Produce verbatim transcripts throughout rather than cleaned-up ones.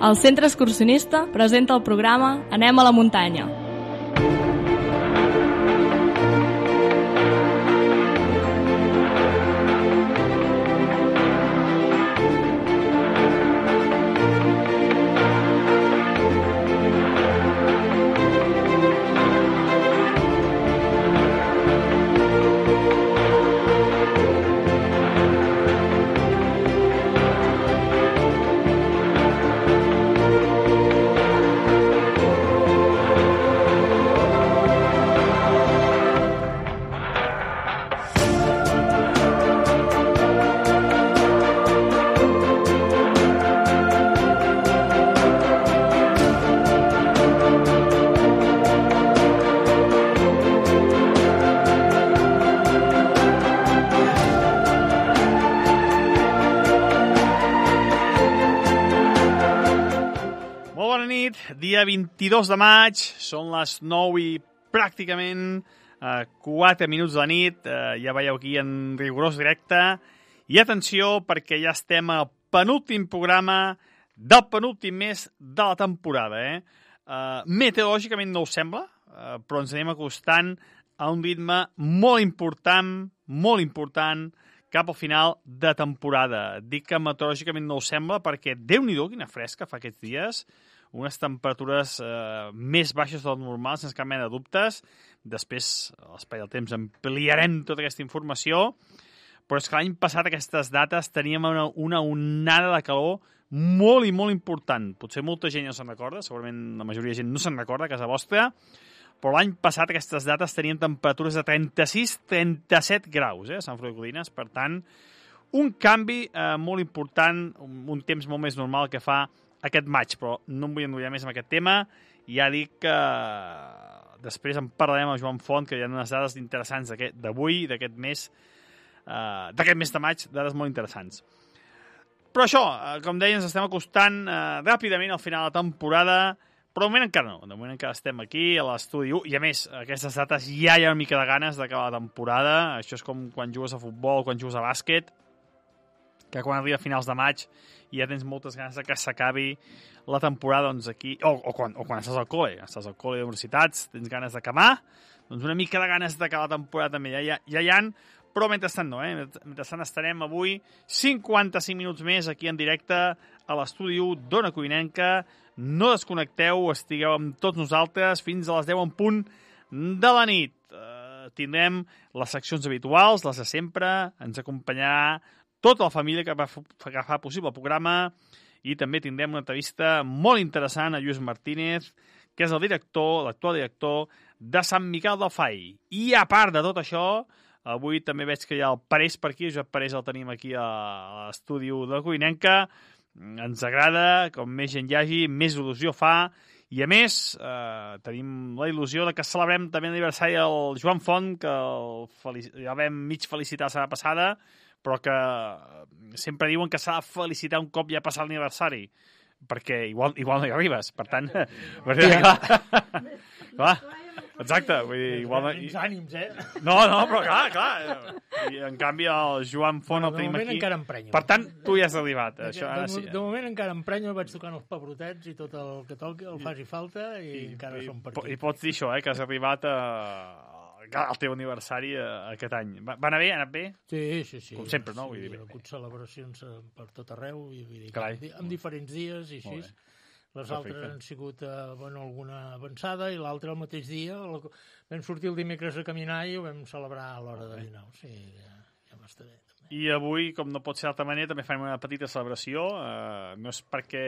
El Centre Excursionista presenta el programa Anem a la muntanya. Dia vint-i-dos de maig, són les nou i pràcticament eh, quatre minuts de la nit, eh, ja veieu aquí en rigorós directe, i atenció perquè ja estem al penúltim programa del penúltim mes de la temporada. Eh? Eh, meteorològicament no ho sembla, eh, però ens anem acostant a un ritme molt important, molt important, cap al final de temporada. Dic que meteorològicament no ho sembla perquè Déu-n'hi-do quina fresca fa aquests dies, unes temperatures eh, més baixes del normal, sense cap mena de dubtes. Després, a l'espai del temps, ampliarem tota aquesta informació. Però és que l'any passat, aquestes dates, teníem una, una onada de calor molt i molt important. Potser molta gent no se'n recorda, segurament la majoria de gent no se'n recorda a casa vostra, però l'any passat, aquestes dates, tenien temperatures de trenta-sis a trenta-set graus, eh, a Sant Feliu de Codines. Per tant, un canvi eh, molt important, un, un temps molt més normal que fa aquest maig, però no em vull enrotllar més amb aquest tema. Ja dic que després en parlarem amb Joan Font, que hi ha unes dades interessants d'avui, d'aquest mes, uh, d'aquest mes de maig, dades molt interessants. Però això, com deia, ens estem acostant uh, ràpidament al final de la temporada, però de moment encara no. De moment encara estem aquí a l'estudi u, i a més, aquestes dates ja hi ha una mica de ganes d'acabar la temporada. Això és com quan jugues a futbol, quan jugues a bàsquet, que quan arriba a finals de maig i ja tens moltes ganes de que s'acabi la temporada, doncs aquí, o, o, quan, o quan estàs al col·le, estàs al col·le d'universitats, tens ganes d'acabar, doncs una mica de ganes d'acabar la temporada també ja, ja, ja hi ha, però mentrestant no, eh? Mentrestant estarem avui cinquanta-cinc minuts més aquí en directe a l'estudi u d'Ona Codinenca. No desconnecteu, estigueu amb tots nosaltres fins a les deu en punt de la nit. Uh, tindrem les seccions habituals, les de sempre, ens acompanyarà tota la família que va, que fa possible el programa, i també tindrem una entrevista molt interessant a Lluís Martínez, que és el director, l'actual director de Sant Miquel del Fai. I a part de tot això, avui també veig que hi ha el Parés per aquí, el Josep Parés el tenim aquí a l'estudi de la Codinenca. Ens agrada, com més gent hi hagi, més il·lusió fa, i a més eh, tenim la il·lusió de que celebrem també l'aniversari del Joan Font, que el felici... ja vam mig felicitar la setmana passada, però que sempre diuen que s'ha de felicitar un cop ja ha passat l'aniversari, perquè igual, igual no hi arribes, per tant... Ja. Clar, exacte. Vull dir, igual no... Uns ànims, eh? No, no, però clar, clar. I en canvi el Joan Font no, el tenim aquí. De moment encara emprenyo. Per tant, tu ja has arribat. De, Això, de, ara sí. de moment encara emprenyo, vaig tocant els pebrotets i tot el que toqui el faci falta i, I encara i, som per aquí. I pots dir això, eh, que has arribat a... el teu aniversari aquest any. Va, va anar bé? Ha anat bé? Sí, sí, sí. Com sempre, no? Sí, vull dir, hi ha hagut celebracions per tot arreu, i, vull dir, Carai, en, en diferents dies i així. Les altres Perfecte. han sigut eh, bueno, alguna avançada, i l'altra el mateix dia. El, vam sortir el dimecres a caminar i ho vam celebrar a l'hora de dinar. O sigui, ja, ja m'està bé. També. I avui, com no pot ser d'altra manera, també farem una petita celebració. Uh, no és perquè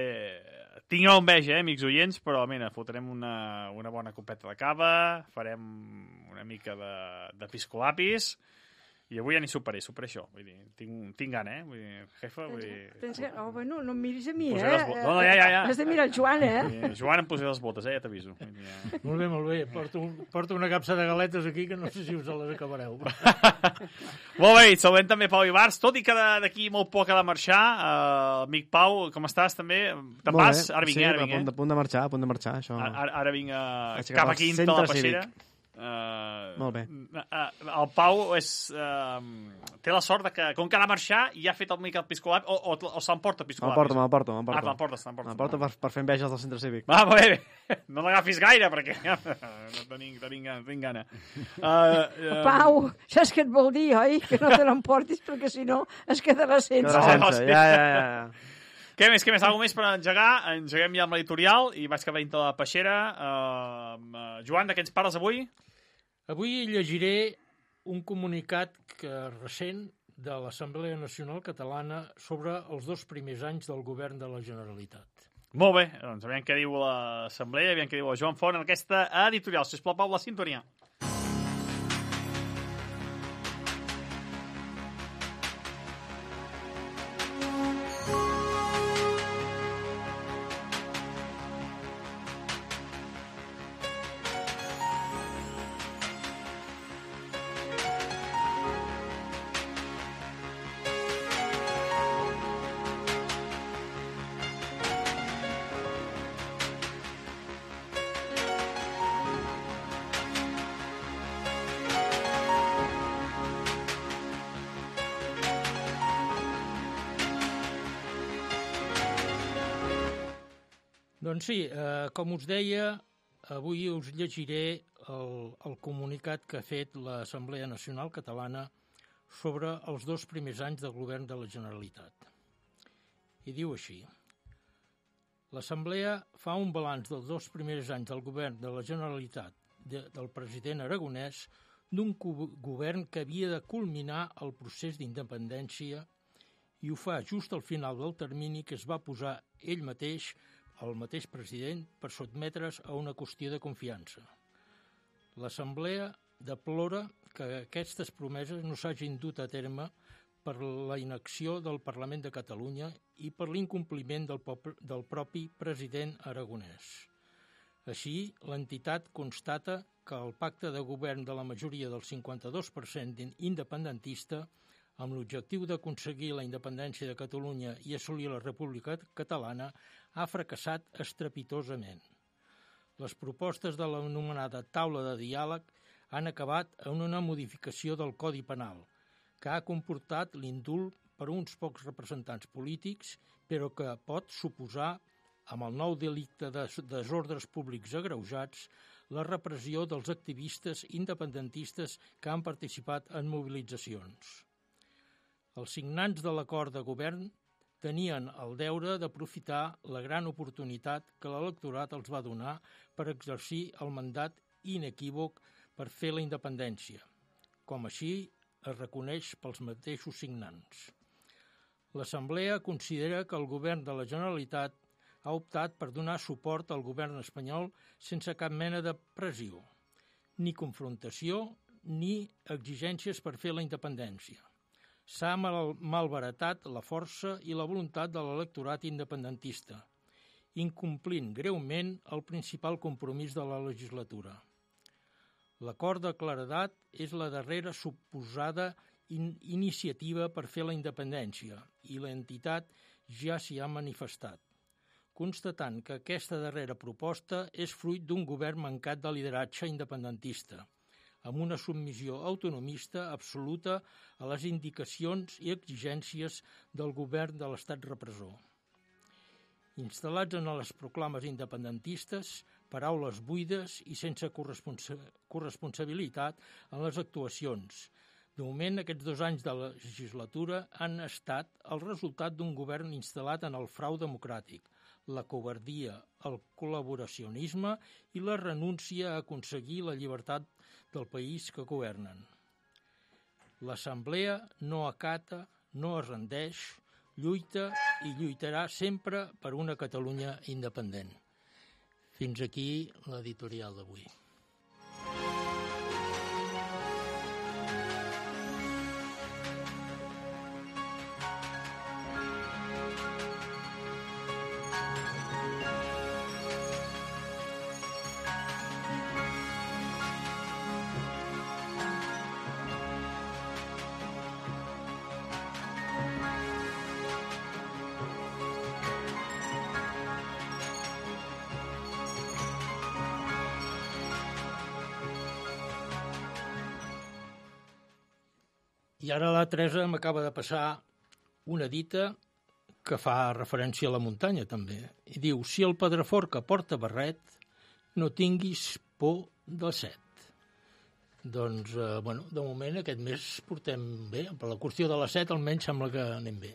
tingueu enveja, eh, amics oients, però mira, fotrem una, una bona copeta de cava, farem una mica de, de piscolapis, i avui ja n'hi superé, superé això. Vull dir, tinc, tinc gana, eh? Vull dir, jefa, vull dir... Tens que... Oh, bueno, no em miris a mi, Posaré eh? les No, no, ja, ja, ja. Has de mirar el Joan, eh? Dir, Joan, em posaré les botes, eh? Ja t'aviso. Ja. Molt bé, molt bé. Porto, porto una capsa de galetes aquí que no sé si us les acabareu. Molt bé, saludem també Pau Ibars, tot i que d'aquí molt poc ha de marxar. Uh, amic Pau, com estàs també? Te'n vas? Ara vinc, sí, ara vinc, a punt, eh? a punt de marxar, a punt de marxar, això. Ara, ara vinc a... Aixecar cap el aquí centre de la Peixera. cívic. Uh, Molt bé. Uh, el Pau és, uh, té la sort de que, com que ha de marxar, ja ha fet el mica el piscolab, o, o, o s'emporta el piscolab. Me'l porto, me'l porto, me'l Ah, porto. t'emportes, t'emportes. Me'l porto per, per fer enveges del centre cívic. Va, molt bé. No l'agafis gaire, perquè no tenim, tenim, gana, tinc gana. Uh, uh, Pau, saps què et vol dir, oi? Que no te l'emportis, perquè si no es quedarà sense. Quedarà No, sense, sí. ja, ja, ja. Què més, què més? Algo més per engegar? Engeguem ja amb l'editorial i vaig cap a dintre de la peixera. Uh, uh, Joan, de què ens parles avui? Avui llegiré un comunicat que recent de l'Assemblea Nacional Catalana sobre els dos primers anys del govern de la Generalitat. Molt bé, doncs aviam què diu l'Assemblea, aviam què diu el Joan Font en aquesta editorial. Sisplau, Pau, la sintonia. Doncs sí, eh, com us deia, avui us llegiré el, el comunicat que ha fet l'Assemblea Nacional Catalana sobre els dos primers anys del govern de la Generalitat. I diu així: l'Assemblea fa un balanç dels dos primers anys del govern de la Generalitat de, del president Aragonès, d'un govern que havia de culminar el procés d'independència, i ho fa just al final del termini que es va posar ell mateix, el mateix president, per sotmetre's a una qüestió de confiança. L'Assemblea deplora que aquestes promeses no s'hagin dut a terme per la inacció del Parlament de Catalunya i per l'incompliment del, del propi president aragonès. Així, l'entitat constata que el pacte de govern de la majoria del cinquanta-dos per cent independentista, amb l'objectiu d'aconseguir la independència de Catalunya i assolir la República Catalana, ha fracassat estrepitosament. Les propostes de l'anomenada taula de diàleg han acabat en una modificació del Codi Penal, que ha comportat l'indult per uns pocs representants polítics, però que pot suposar, amb el nou delicte de desordres públics agreujats, la repressió dels activistes independentistes que han participat en mobilitzacions. Els signants de l'acord de govern tenien el deure d'aprofitar la gran oportunitat que l'electorat els va donar per exercir el mandat inequívoc per fer la independència, com així es reconeix pels mateixos signants. L'Assemblea considera que el govern de la Generalitat ha optat per donar suport al govern espanyol sense cap mena de pressió, ni confrontació ni exigències per fer la independència. S'ha mal malbaratat la força i la voluntat de l'electorat independentista, incomplint greument el principal compromís de la legislatura. L'acord de claredat és la darrera suposada in iniciativa per fer la independència i l'entitat ja s'hi ha manifestat, constatant que aquesta darrera proposta és fruit d'un govern mancat de lideratge independentista, amb una submissió autonomista absoluta a les indicacions i exigències del govern de l'estat repressor. Instal·lats en les proclames independentistes, paraules buides i sense corresponsa corresponsabilitat en les actuacions. De moment, aquests dos anys de legislatura han estat el resultat d'un govern instal·lat en el frau democràtic, la covardia, el col·laboracionisme i la renúncia a aconseguir la llibertat del país que governen. L'Assemblea no acata, no es rendeix, lluita i lluitarà sempre per una Catalunya independent. Fins aquí l'editorial d'avui. I ara la Teresa m'acaba de passar una dita que fa referència a la muntanya, també. I diu, si el Pedraforca porta barret, no tinguis por de set. Doncs, eh, bueno, de moment aquest mes portem bé. Per la qüestió de la set almenys sembla que anem bé.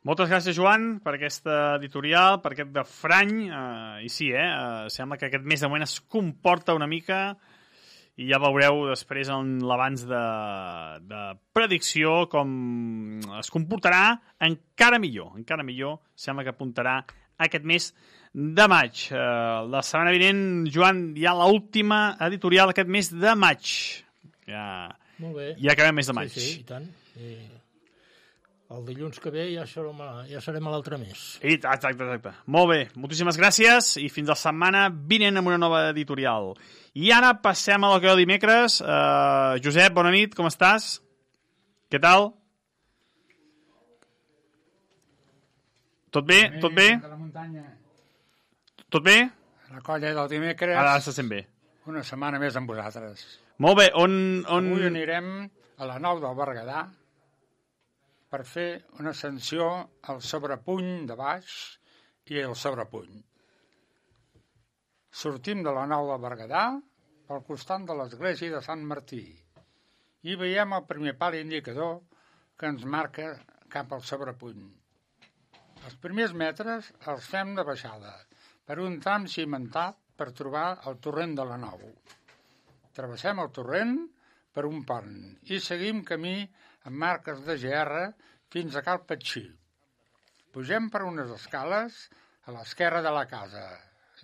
Moltes gràcies, Joan, per aquesta editorial, per aquest refrany. Uh, I sí, eh? Uh, sembla que aquest mes de moment es comporta una mica i ja veureu després en l'abans de, de predicció com es comportarà encara millor. Encara millor sembla que apuntarà aquest mes de maig. Uh, la setmana vinent, Joan, hi ha l'última editorial aquest mes de maig. Ja, Molt bé. Ja acabem mes de maig. Sí, sí, i tant. I... El dilluns que ve ja serem a, ja serem a l'altre mes. I, exacte, exacte. Molt bé, moltíssimes gràcies i fins la setmana vinent amb una nova editorial. I ara passem a la que de dimecres. Uh, Josep, bona nit, com estàs? Què tal? Tot bé? Tot bé? Tot bé? La colla del dimecres. Ara se sent bé. Una setmana més amb vosaltres. Molt bé, on... on... Avui anirem a la Nou del Berguedà per fer una ascensió al sobrepuny de baix i al sobrepuny. Sortim de la Nou del Berguedà pel costat de l'església de Sant Martí i veiem el primer pal indicador que ens marca cap al sobrepuny. Els primers metres els fem de baixada per un tram cimentat per trobar el torrent de la Nou. Travessem el torrent per un pont i seguim camí amb marques de G R fins a Cal Petxí. Pugem per unes escales a l'esquerra de la casa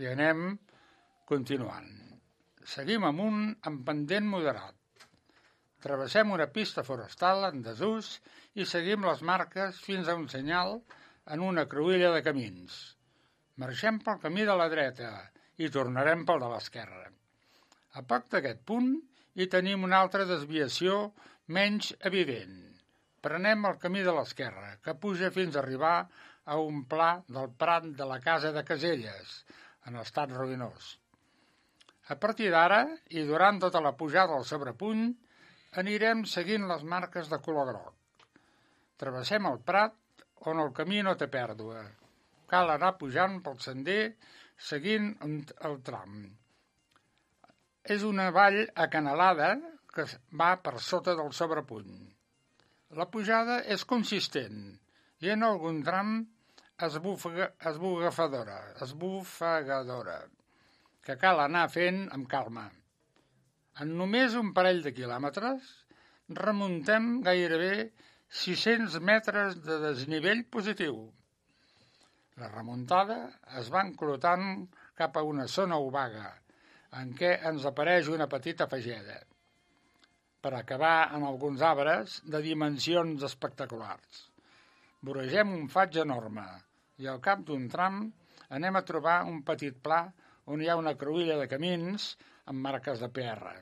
i anem continuant. Seguim amunt amb pendent moderat. Travessem una pista forestal en desús i seguim les marques fins a un senyal en una cruïlla de camins. Marxem pel camí de la dreta i tornarem pel de l'esquerra. A poc d'aquest punt hi tenim una altra desviació menys evident. Prenem el camí de l'esquerra, que puja fins a arribar a un pla del prat de la casa de Caselles, en estat ruïnós. A partir d'ara, i durant tota la pujada al sobrepuny, anirem seguint les marques de color groc. Travessem el prat, on el camí no té pèrdua. Cal anar pujant pel sender, seguint el tram. És una vall acanalada que va per sota del sobrepuny. La pujada és consistent i en algun tram esbufegadora, esbufegadora, que cal anar fent amb calma. En només un parell de quilòmetres remuntem gairebé sis-cents metres de desnivell positiu. La remuntada es va enclotant cap a una zona obaga, en què ens apareix una petita fageda, per acabar en alguns arbres de dimensions espectaculars. Voregem un faig enorme i al cap d'un tram anem a trobar un petit pla on hi ha una cruïlla de camins amb marques de P R.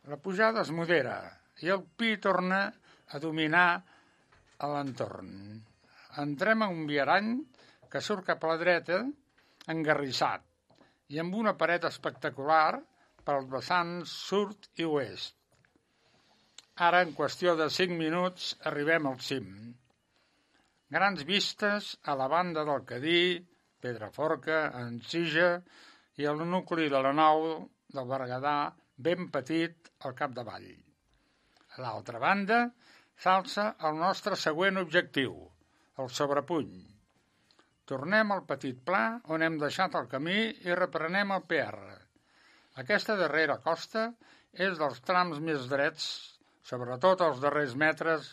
La pujada es modera i el pi torna a dominar a l'entorn. Entrem a un viarany que surt cap a la dreta, engarrissat, i amb una paret espectacular pels vessants sud i oest. Ara, en qüestió de cinc minuts, arribem al cim. Grans vistes a la banda del Cadí, Pedraforca, Encija i el nucli de la Nou del Berguedà ben petit al capdavall. A l'altra banda s'alça el nostre següent objectiu, el sobrepuny. Tornem al petit pla on hem deixat el camí i reprenem el P R. Aquesta darrera costa és dels trams més drets, sobretot els darrers metres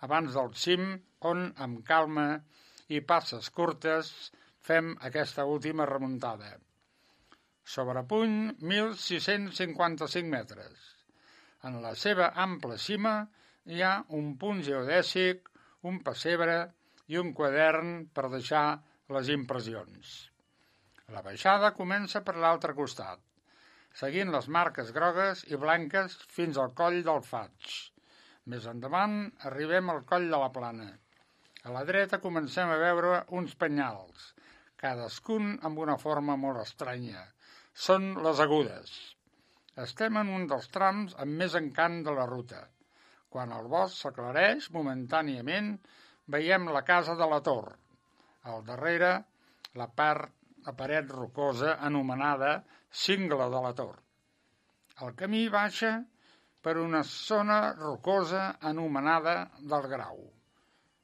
abans del cim, on, amb calma i passes curtes, fem aquesta última remuntada. Sobrepuny, mil sis-cents cinquanta-cinc metres. En la seva ampla cima hi ha un punt geodèsic, un pessebre i un quadern per deixar les impressions. La baixada comença per l'altre costat, seguint les marques grogues i blanques fins al coll del Faig. Més endavant arribem al coll de la Plana. A la dreta comencem a veure uns penyals, cadascun amb una forma molt estranya. Són les Agudes. Estem en un dels trams amb més encant de la ruta. Quan el bosc s'aclareix momentàniament, veiem la casa de la Tor. Al darrere, la part, la paret rocosa anomenada Cingle de la Tor. El camí baixa per una zona rocosa anomenada del Grau.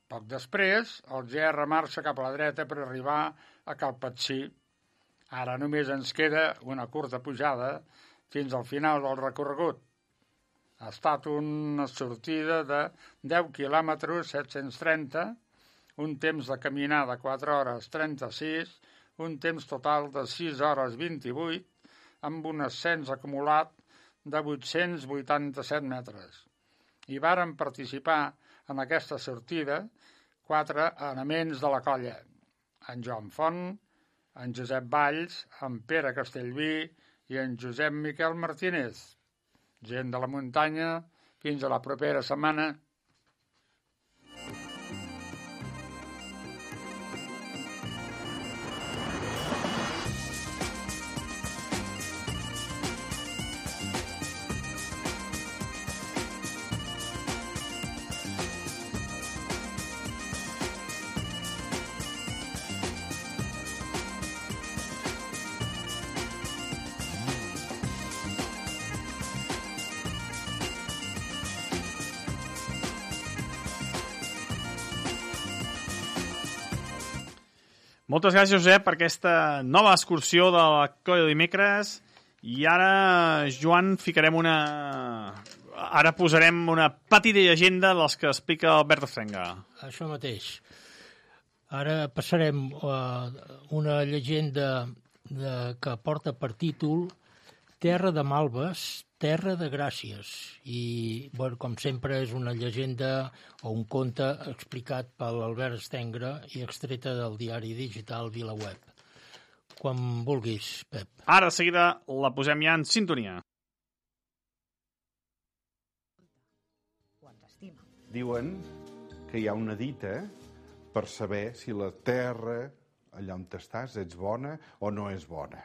Poc després, el Gerra marxa cap a la dreta per arribar a Calpatxí. Ara només ens queda una curta pujada fins al final del recorregut. Ha estat una sortida de deu quilòmetres, set-cents trenta, un temps de caminar de quatre hores trenta-sis, un temps total de sis hores vint-i-vuit, amb un ascens acumulat de vuit-cents vuitanta-set metres. Hi varen participar en aquesta sortida quatre elements de la colla: en Joan Font, en Josep Valls, en Pere Castellví i en Josep Miquel Martínez. Gent de la muntanya, fins a la propera setmana. Moltes gràcies, Josep, per aquesta nova excursió de la colla de dimecres. I ara, Joan, ficarem una... Ara posarem una petita llegenda dels que explica Albert Frenga. Això mateix. Ara passarem a una llegenda de, que porta per títol Terra de Malves, Terra de Gràcies. I, bueno, com sempre, és una llegenda o un conte explicat per l'Albert Stengra i extreta del diari digital VilaWeb. Quan vulguis, Pep. Ara, de seguida, la posem ja en sintonia. Diuen que hi ha una dita per saber si la terra, allà on estàs, ets bona o no és bona.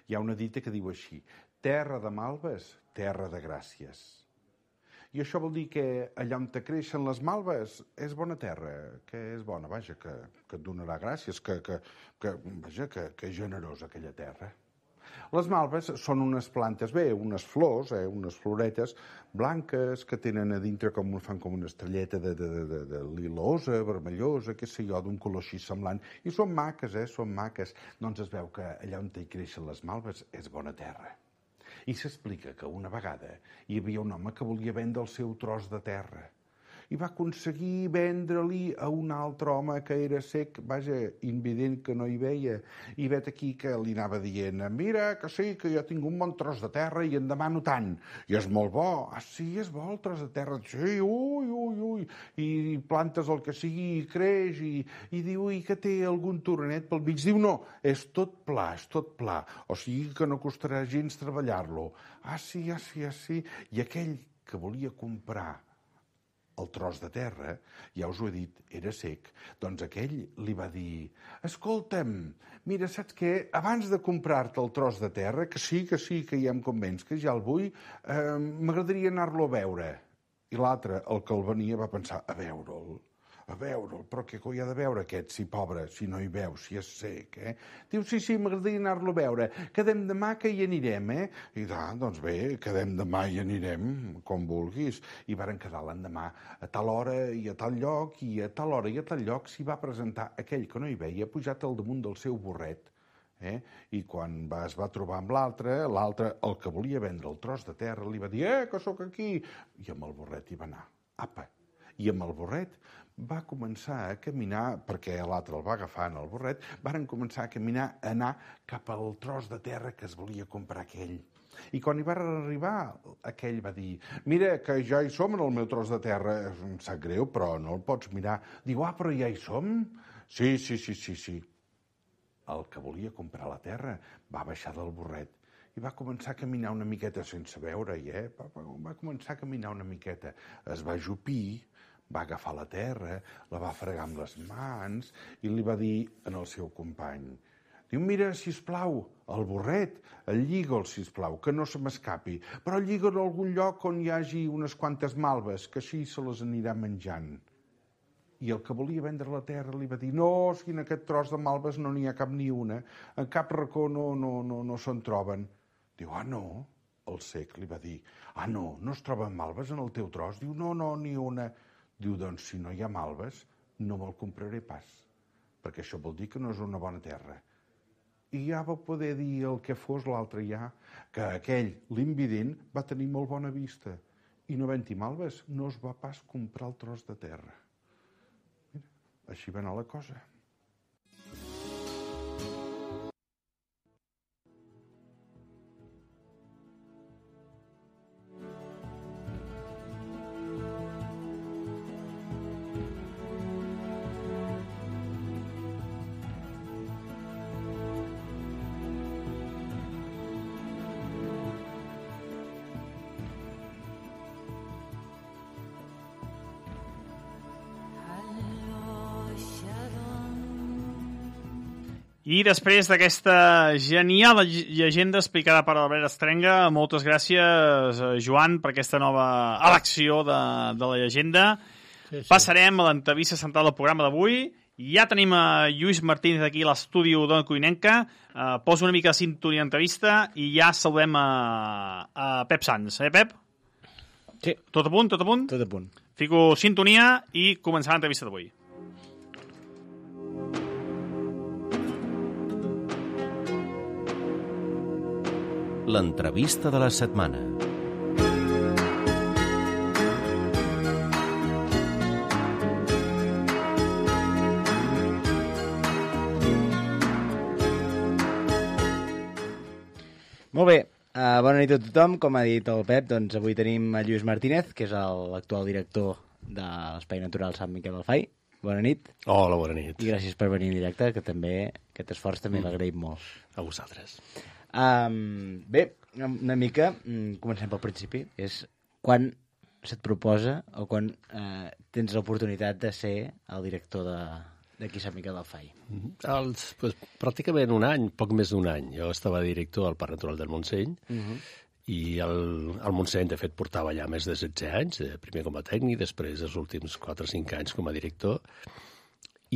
Hi ha una dita que diu així: terra de malves, terra de gràcies. I això vol dir que allà on te creixen les malves és bona terra, que és bona, vaja, que, que et donarà gràcies, que, que, que, vaja, que, que és generosa aquella terra. Les malves són unes plantes, bé, unes flors, eh, unes floretes blanques que tenen a dintre com fan com una estrelleta de, de, de, de lilosa, vermellosa, què sé jo, d'un color així semblant. I són maques, eh, són maques. Doncs es veu que allà on hi creixen les malves és bona terra. I s'explica que una vegada hi havia un home que volia vendre el seu tros de terra i va aconseguir vendre-li a un altre home que era cec, vaja, invident, que no hi veia, i vet aquí que li anava dient: mira, que sí, que jo tinc un bon tros de terra i en demano tant, i és molt bo. Ah, sí, és bo el tros de terra? Sí, ui, ui, ui, i plantes el que sigui i creix, i, i diu, i que té algun tornet pel mig? Diu, no, és tot pla, és tot pla, o sigui que no costarà gens treballar-lo. Ah, sí, ah, sí, ah, sí. I aquell que volia comprar el tros de terra, ja us ho he dit, era cec, doncs aquell li va dir: escolta'm, mira, saps què? Abans de comprar-te el tros de terra, que sí, que sí, que ja em convenç, que ja el vull, eh, m'agradaria anar-lo a veure. I l'altre, el que el venia, va pensar: a veure'l, a veure'l, però què coi ha de veure aquest, si pobre, si no hi veu, si és sec, eh? Diu, sí, sí, m'agradaria anar-lo a veure. Quedem demà que hi anirem, eh? I ah, doncs bé, quedem demà i anirem, com vulguis. I varen quedar l'endemà a tal hora i a tal lloc, i a tal hora i a tal lloc s'hi va presentar aquell que no hi veia, pujat al damunt del seu burret. Eh? I quan va, es va trobar amb l'altre, l'altre, el que volia vendre el tros de terra, li va dir: eh, que sóc aquí. I amb el burret hi va anar. Apa! I amb el burret va començar a caminar, perquè l'altre el va agafar en el burret, varen començar a caminar, a anar cap al tros de terra que es volia comprar aquell. I quan hi va arribar, aquell va dir, mira, que ja hi som en el meu tros de terra, em sap greu, però no el pots mirar. Diu, ah, però ja hi som? Sí, sí, sí, sí, sí. El que volia comprar la terra va baixar del burret i va començar a caminar una miqueta sense veure-hi, eh? Va, va, va començar a caminar una miqueta. Es va ajupir, va agafar la terra, la va fregar amb les mans i li va dir al seu company, diu, mira, sisplau, el burret, el lliga'l, sisplau, que no se m'escapi, però lliga'l a algun lloc on hi hagi unes quantes malves, que així se les anirà menjant. I el que volia vendre la terra li va dir, no, si en aquest tros de malves no n'hi ha cap ni una, en cap racó no, no, no, no se'n troben. Diu, ah, no? El cec li va dir, ah, no, no es troben malves en el teu tros? Diu, no, no, ni una. Diu, doncs, si no hi ha malves, no me'l compraré pas, perquè això vol dir que no és una bona terra. I ja va poder dir el que fos l'altre ja, que aquell, l'invident, va tenir molt bona vista, i no havent-hi malves, no es va pas comprar el tros de terra. Mira, així va anar la cosa. I després d'aquesta genial llegenda explicada per Albert Estrenga, moltes gràcies, Joan, per aquesta nova elecció de, de la llegenda. Sí, sí. Passarem a l'entrevista central del programa d'avui. Ja tenim a Lluís Martínez aquí a l'estudi d'Ona Codinenca. Uh, poso una mica de sintonia d'entrevista i ja saludem a, a Pep Sans. Eh, Pep? Sí. Tot a punt, tot a punt? Tot a punt. Fico sintonia i començar l'entrevista d'avui. L'entrevista de la setmana. Molt bé, uh, bona nit a tothom. Com ha dit el Pep, doncs avui tenim a Lluís Martínez, que és l'actual director de l'Espai Natural Sant Miquel del Fai. Bona nit. Hola, bona nit. I gràcies per venir en directe, que també aquest esforç també mm. l'agraïm molt. A vosaltres. Um, bé, una mica, comencem pel principi, és quan se't proposa o quan uh, tens l'oportunitat de ser el director de, d'aquí Sant Miquel del Fai? Els, pues, pràcticament un any, poc més d'un any. Jo estava director al Parc Natural del Montseny uh-huh. i el, el Montseny, de fet, portava ja més de setze anys, primer com a tècnic, després els últims quatre o cinc anys com a director.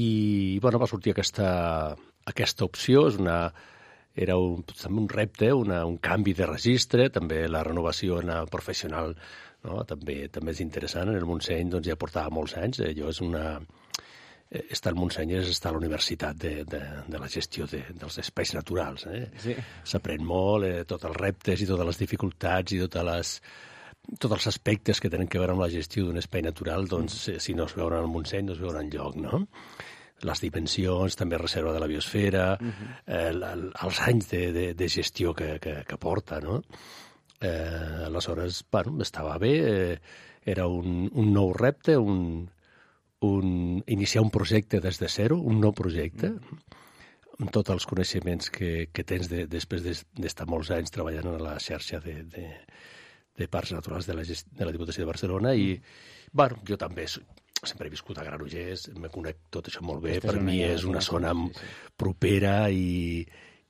I, bueno, va sortir aquesta, aquesta opció, és una... Era un, també un repte, una, un canvi de registre, també la renovació professional, no? també, també és interessant. En el Montseny doncs, ja portava molts anys. Eh, jo és una... Estar al Montseny és estar a la universitat de, de, de la gestió de, dels espais naturals. Eh? Sí. S'aprèn molt, eh, tots els reptes i totes les dificultats i totes les, tots els aspectes que tenen que veure amb la gestió d'un espai natural, doncs, mm. si no es veuen al Montseny, no es veuen enlloc, no? Les dimensions, també reserva de la biosfera, uh-huh. eh, els anys de, de, de gestió que, que, que porta, no? Eh, aleshores, bueno, estava bé, eh, era un, un nou repte, un, un, iniciar un projecte des de zero, un nou projecte, uh-huh. amb tots els coneixements que, que tens de, després d'estar molts anys treballant en la xarxa de, de, de parcs naturals de la, de la Diputació de Barcelona i, bueno, jo també sempre he viscut a Granollers, me conec tot això molt bé, per mi és una zona propera i,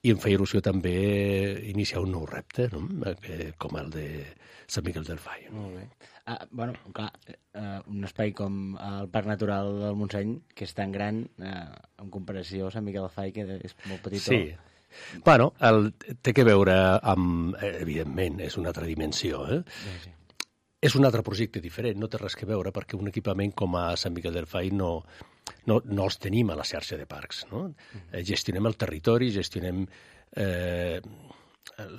i em feia il·lusió també iniciar un nou repte, no? Com el de Sant Miquel del Fai. Molt bé. Ah, bueno, clar, uh, un espai com el Parc Natural del Montseny, que és tan gran, uh, en comparació a Sant Miquel del Fai, que és molt petitó. Sí. Bueno, el, té que veure amb... Evidentment, és una altra dimensió, eh? Sí, sí. És un altre projecte diferent, no té res que veure, perquè un equipament com a Sant Miquel del Fai no, no, no els tenim a la xarxa de parcs. No? Mm. Gestionem el territori, gestionem eh,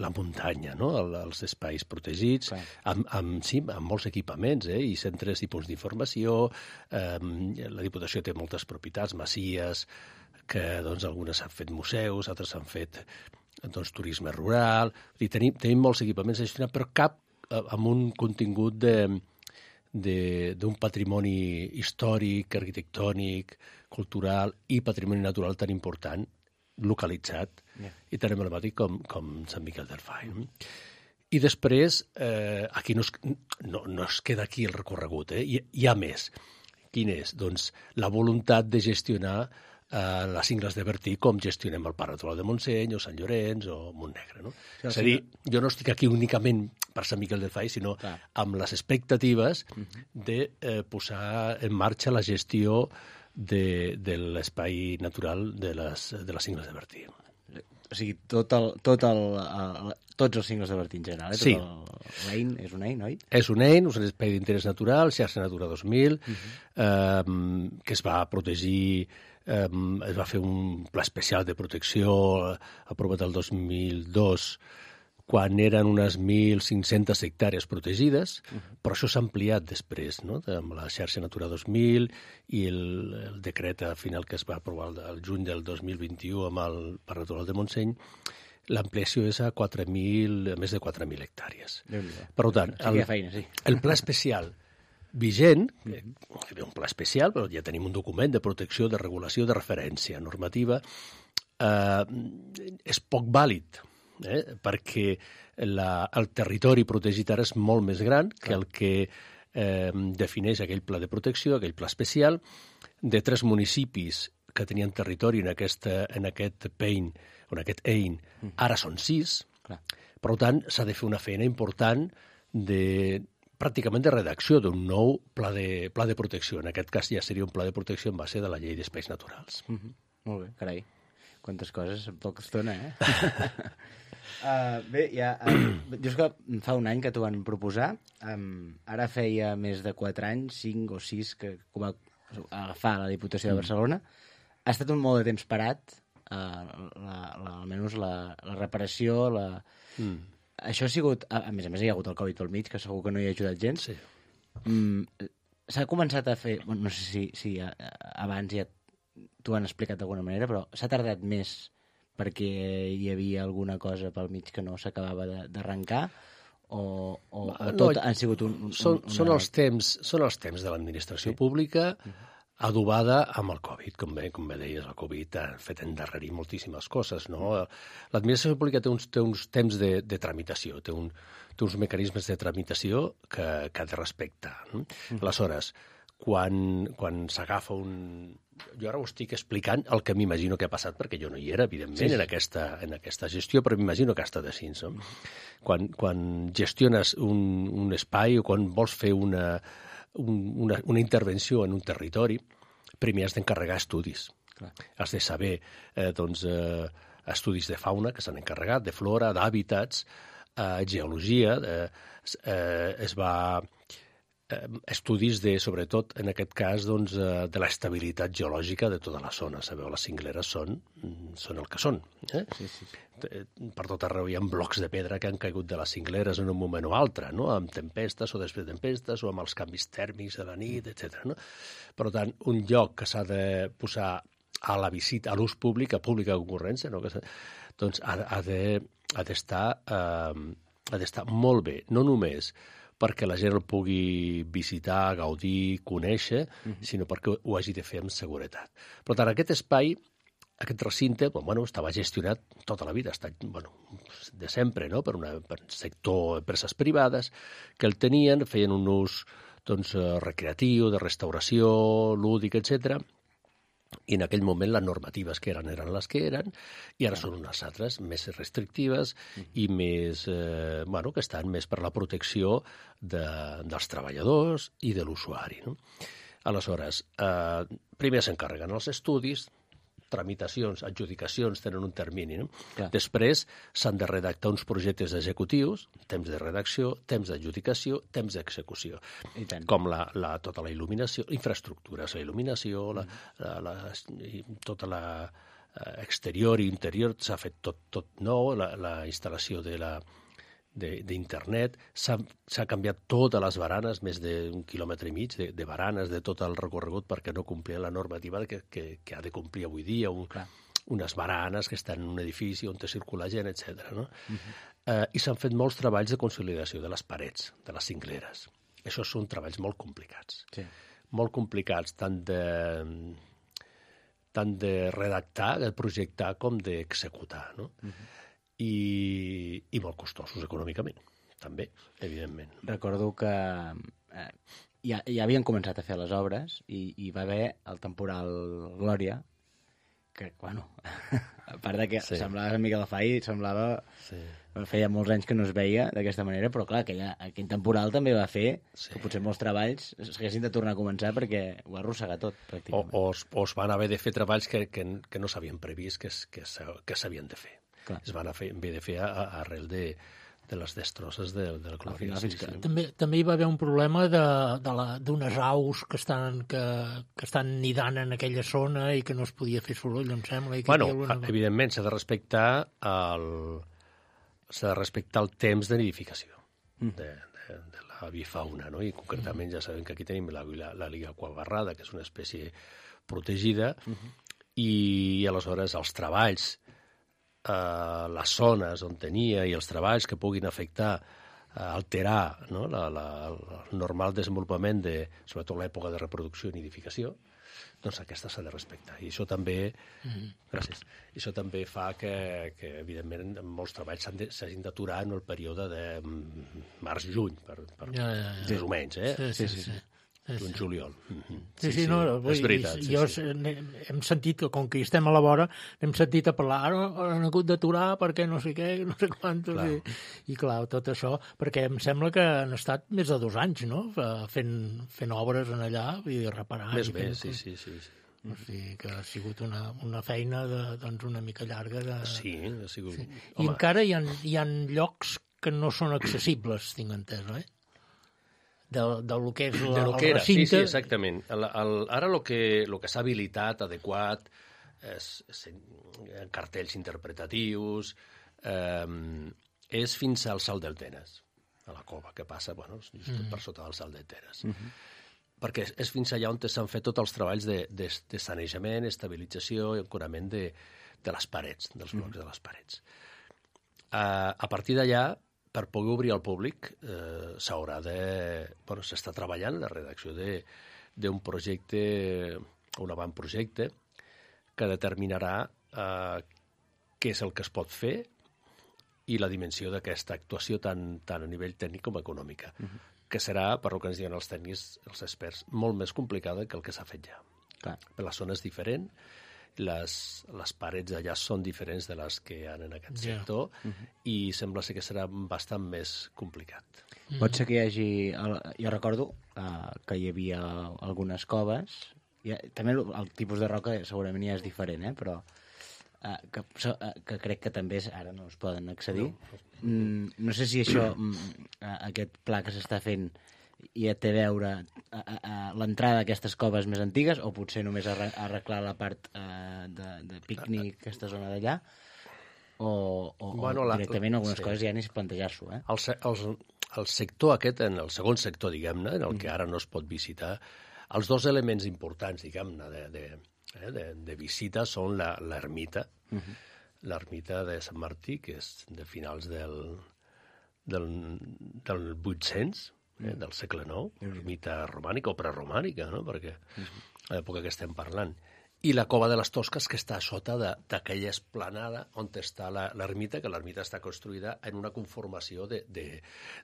la muntanya, no? el, els espais protegits, sí. amb, amb, sí, amb molts equipaments eh? i centres i punts d'informació. Eh, la Diputació té moltes propietats, masies, que doncs, algunes s'han fet museus, altres s'han fet doncs, turisme rural... I tenim, tenim molts equipaments a gestionar, però cap eh, amb un contingut de d'un patrimoni històric, arquitectònic, cultural i patrimoni natural tan important, localitzat yeah. i tan emblemàtic com, com Sant Miquel del Fai. No? I després, eh, aquí no es, no, no es queda aquí el recorregut, eh? hi, hi ha més. Quin és? Doncs la voluntat de gestionar eh, les cingles de Bertí com gestionem el Parc Natural de Montseny o Sant Llorenç o Montnegre. No? Sí, és a dir, jo no estic aquí únicament per Sant Miquel del Fai, sinó clar. Amb les expectatives uh-huh. de eh, posar en marxa la gestió de, de l'espai natural de les, de les cingles de Bertí. O sigui, tot el, tot el, el, tots els cingles de Bertí en general, eh? Sí. L'Ein és un Ein, oi? És un Ein, un espai d'interès natural, xarxa Natura dos mil, uh-huh. eh, que es va protegir, eh, es va fer un pla especial de protecció aprovat el dos mil dos, quan eren unes mil cinc-centes hectàrees protegides, uh-huh. però això s'ha ampliat després, no? Amb la xarxa Natura dos mil i el, el decret final que es va aprovar el, el juny del dos mil vint-i-u amb el Parc Natural de Montseny, l'ampliació és a quatre mil, a més de quatre mil hectàrees. Per tant, el, sí feina, sí. el pla especial vigent, uh-huh. que és un pla especial, però ja tenim un document de protecció, de regulació, de referència normativa, eh, és poc vàlid, Eh? perquè la, el territori protegit ara és molt més gran que el que eh, defineix aquell pla de protecció, aquell pla especial, de tres municipis que tenien territori en, aquesta, en aquest pein, o en aquest Ein, ara són sis. Clar. Per tant, s'ha de fer una feina important de pràcticament de redacció d'un nou pla de, pla de protecció. En aquest cas ja seria un pla de protecció en base de la llei d'espais naturals. Mm-hmm. Molt bé, carai. Quantes coses en poca estona, eh? uh, bé, ja... Uh, jo és que fa un any que t'ho van proposar. Um, ara feia més de quatre anys, cinc o sis, que ho va agafar la Diputació de Barcelona. Ha estat un molt de temps parat, uh, la, la, almenys la, la reparació, la... Mm. Això ha sigut... A, a més a més, hi ha hagut el Covid pel mig, que segur que no hi ha ajudat gens. Sí. Um, s'ha començat a fer... Bueno, no sé si, si abans ja t'ho han explicat d'alguna manera, però s'ha tardat més perquè hi havia alguna cosa pel mig que no s'acabava d'arrencar o, o, o tot no, han sigut un... un són, una... són, els temps, són els temps de l'administració sí. pública adobada amb el Covid, com bé, com bé deies, el Covid ha fet endarrerir moltíssimes coses, no? L'administració pública té uns, té uns temps de, de tramitació, té, un, té uns mecanismes de tramitació que, que ha de respectar. No? Mm. Aleshores, quan, quan s'agafa un... Jo ara ho estic explicant el que m'imagino que ha passat, perquè jo no hi era, evidentment, sí, sí. En, aquesta, en aquesta gestió, però m'imagino que ha estat així. No? Quan, quan gestiones un, un espai o quan vols fer una, un, una, una intervenció en un territori, primer has d'encarregar estudis. Clar. Has de saber eh, doncs, eh, estudis de fauna que s'han encarregat, de flora, d'hàbitats, eh, geologia, eh, eh, es va... estudis de, sobretot, en aquest cas, doncs, de l'estabilitat geològica de tota la zona. Sabeu, les cingleres són, són el que són. Eh? Sí, sí. Per tot arreu hi ha blocs de pedra que han caigut de les cingleres en un moment o altre, no? Amb tempestes o després de tempestes o amb els canvis tèrmics de la nit, etcètera. No? Per tant, un lloc que s'ha de posar a la visita, a l'ús públic, a pública concurrència, no? que doncs ha, ha d'estar de, eh, ha d'estar molt bé, no només perquè la gent el pugui visitar, gaudir, conèixer, uh-huh. sinó perquè ho hagi de fer amb seguretat. Per tant, aquest espai, aquest recinte, bueno, estava gestionat tota la vida, ha estat bueno, de sempre, no? per, una, per un sector empreses privades que el tenien, feien un ús doncs, recreatiu, de restauració, lúdic, etcètera. I en aquell moment les normatives que eren eren les que eren i ara són unes altres més restrictives i més, eh, bueno, que estan més per la protecció de, dels treballadors i de l'usuari. No? Aleshores, eh, primer s'encarreguen els estudis, tramitacions, adjudicacions tenen un termini. No? Després s'han de redactar uns projectes executius, temps de redacció, temps d'adjudicació, temps d'execució. Com la, la, tota la il·luminació, infraestructures, la il·luminació, la, la, la, tota la exterior i interior, s'ha fet tot, tot nou, la, la instal·lació de la d'internet, s'ha canviat totes les baranes, més d'un quilòmetre i mig de, de baranes de tot el recorregut perquè no complia la normativa que, que, que ha de complir avui dia un, unes baranes que estan en un edifici on circula gent, etcètera. No? Uh-huh. Eh, I s'han fet molts treballs de consolidació de les parets, de les cingleres. Això són treballs molt complicats. Sí. Molt complicats, tant de, tant de redactar, de projectar, com d'executar. No? Uh-huh. I, I molt costosos econòmicament, també, evidentment. Recordo que eh, ja, ja havien començat a fer les obres i hi va haver el temporal Glòria, que, bueno, a part de que sí. semblava una mica la Fai, semblava... Sí. Feia molts anys que no es veia d'aquesta manera, però clar, aquella, aquell temporal també va fer sí. que potser molts treballs s'haguessin de tornar a començar perquè ho ha arrossegat tot, pràcticament. O, o, es, o es van haver de fer treballs que, que, que no s'havien previst que, que, que s'havien de fer. Clar. Es van haver de fer a, a arrel de, de les destrosses de, de la Glòria. Sí, sí. També, també hi va haver un problema d'unes aus que estan, que, que estan nidant en aquella zona i que no es podia fer soroll, em sembla. I que bueno, una... evidentment s'ha de respectar el, s'ha de respectar el temps de nidificació mm. de, de, de la avifauna, no? I concretament mm. ja sabem que aquí tenim la, la, la liga aquabarrada, que és una espècie protegida, mm-hmm. i aleshores els treballs Uh, les zones on tenia i els treballs que puguin afectar, uh, alterar no? la, la, el normal desenvolupament de, sobretot l'època de reproducció i nidificació, doncs aquesta s'ha de respectar. I això també, mm-hmm. gràcies, I això també fa que, que evidentment, molts treballs s'hagin d'aturar en el període de març-juny, per, per ja, ja, ja. més o menys, eh? Sí, sí, sí. sí. Un juliol. Mm-hmm. Sí, sí, sí, no, vull, és veritat. Sí, jo sí. Hem sentit que, com que hi estem a la vora, hem sentit a parlar, ara han hagut d'aturar perquè no sé què, no sé quantos, clar. I, i clar, tot això, perquè em sembla que han estat més de dos anys, no?, fent, fent obres en allà i reparant. Més bé, fent, sí, sí, sí, sí. O sigui que ha sigut una, una feina de, doncs una mica llarga. De... Sí, ha sigut... Sí. I encara hi ha, hi ha llocs que no són accessibles, tinc entès, eh? De, de lo que és la, de lo que el era. recinte. Sí, sí, exactament. El, el, ara el que, lo que s'ha habilitat adequat és, és cartells interpretatius, eh, és fins al salt del Tenes, a la cova, que passa, bueno, just mm. per sota del salt del Tenes. Mm-hmm. Perquè és, és fins allà on s'han fet tots els treballs de, de, de sanejament, estabilització i ancorament de, de les parets, dels blocs mm. de les parets. Uh, a partir d'allà, per poder obrir al públic, eh, s'haurà de... Bueno, s'està treballant la redacció d'un projecte, un avantprojecte, que determinarà eh, què és el que es pot fer i la dimensió d'aquesta actuació tant, tant a nivell tècnic com econòmica, uh-huh. que serà, per el que ens diuen els tècnics, els experts, molt més complicada que el que s'ha fet ja. Clar. Per la zona és diferent, Les, les parets d'allà són diferents de les que hi ha en aquest yeah. sector uh-huh. i sembla ser que serà bastant més complicat. Uh-huh. Pot ser que hi hagi... El, jo recordo uh, que hi havia algunes coves, ha, també el, el tipus de roca segurament ja és diferent, eh? Però uh, que, so, uh, que crec que també és, ara no es poden accedir. No, mm, no sé si això, mm, aquest pla que s'està fent i té a veure a, a, a l'entrada d'aquestes coves més antigues o potser només arreglar la part uh, de, de pícnic, aquesta zona d'allà, o, o, bueno, o directament la, algunes sí. coses ja ni plantejar-s'ho. Eh? El, el, el sector aquest, en el segon sector, diguem-ne, en el que ara no es pot visitar, els dos elements importants, diguem-ne, de, de, eh, de, de visita són l'ermita, uh-huh. l'ermita de Sant Martí, que és de finals del, del, del vuit-cents, Eh, del segle nou, ermita romànica o preromànica, no? Perquè a l'època que estem parlant. I la cova de les Tosques, que està a sota d'aquella esplanada on està l'ermita, que l'ermita està construïda en una conformació de, de,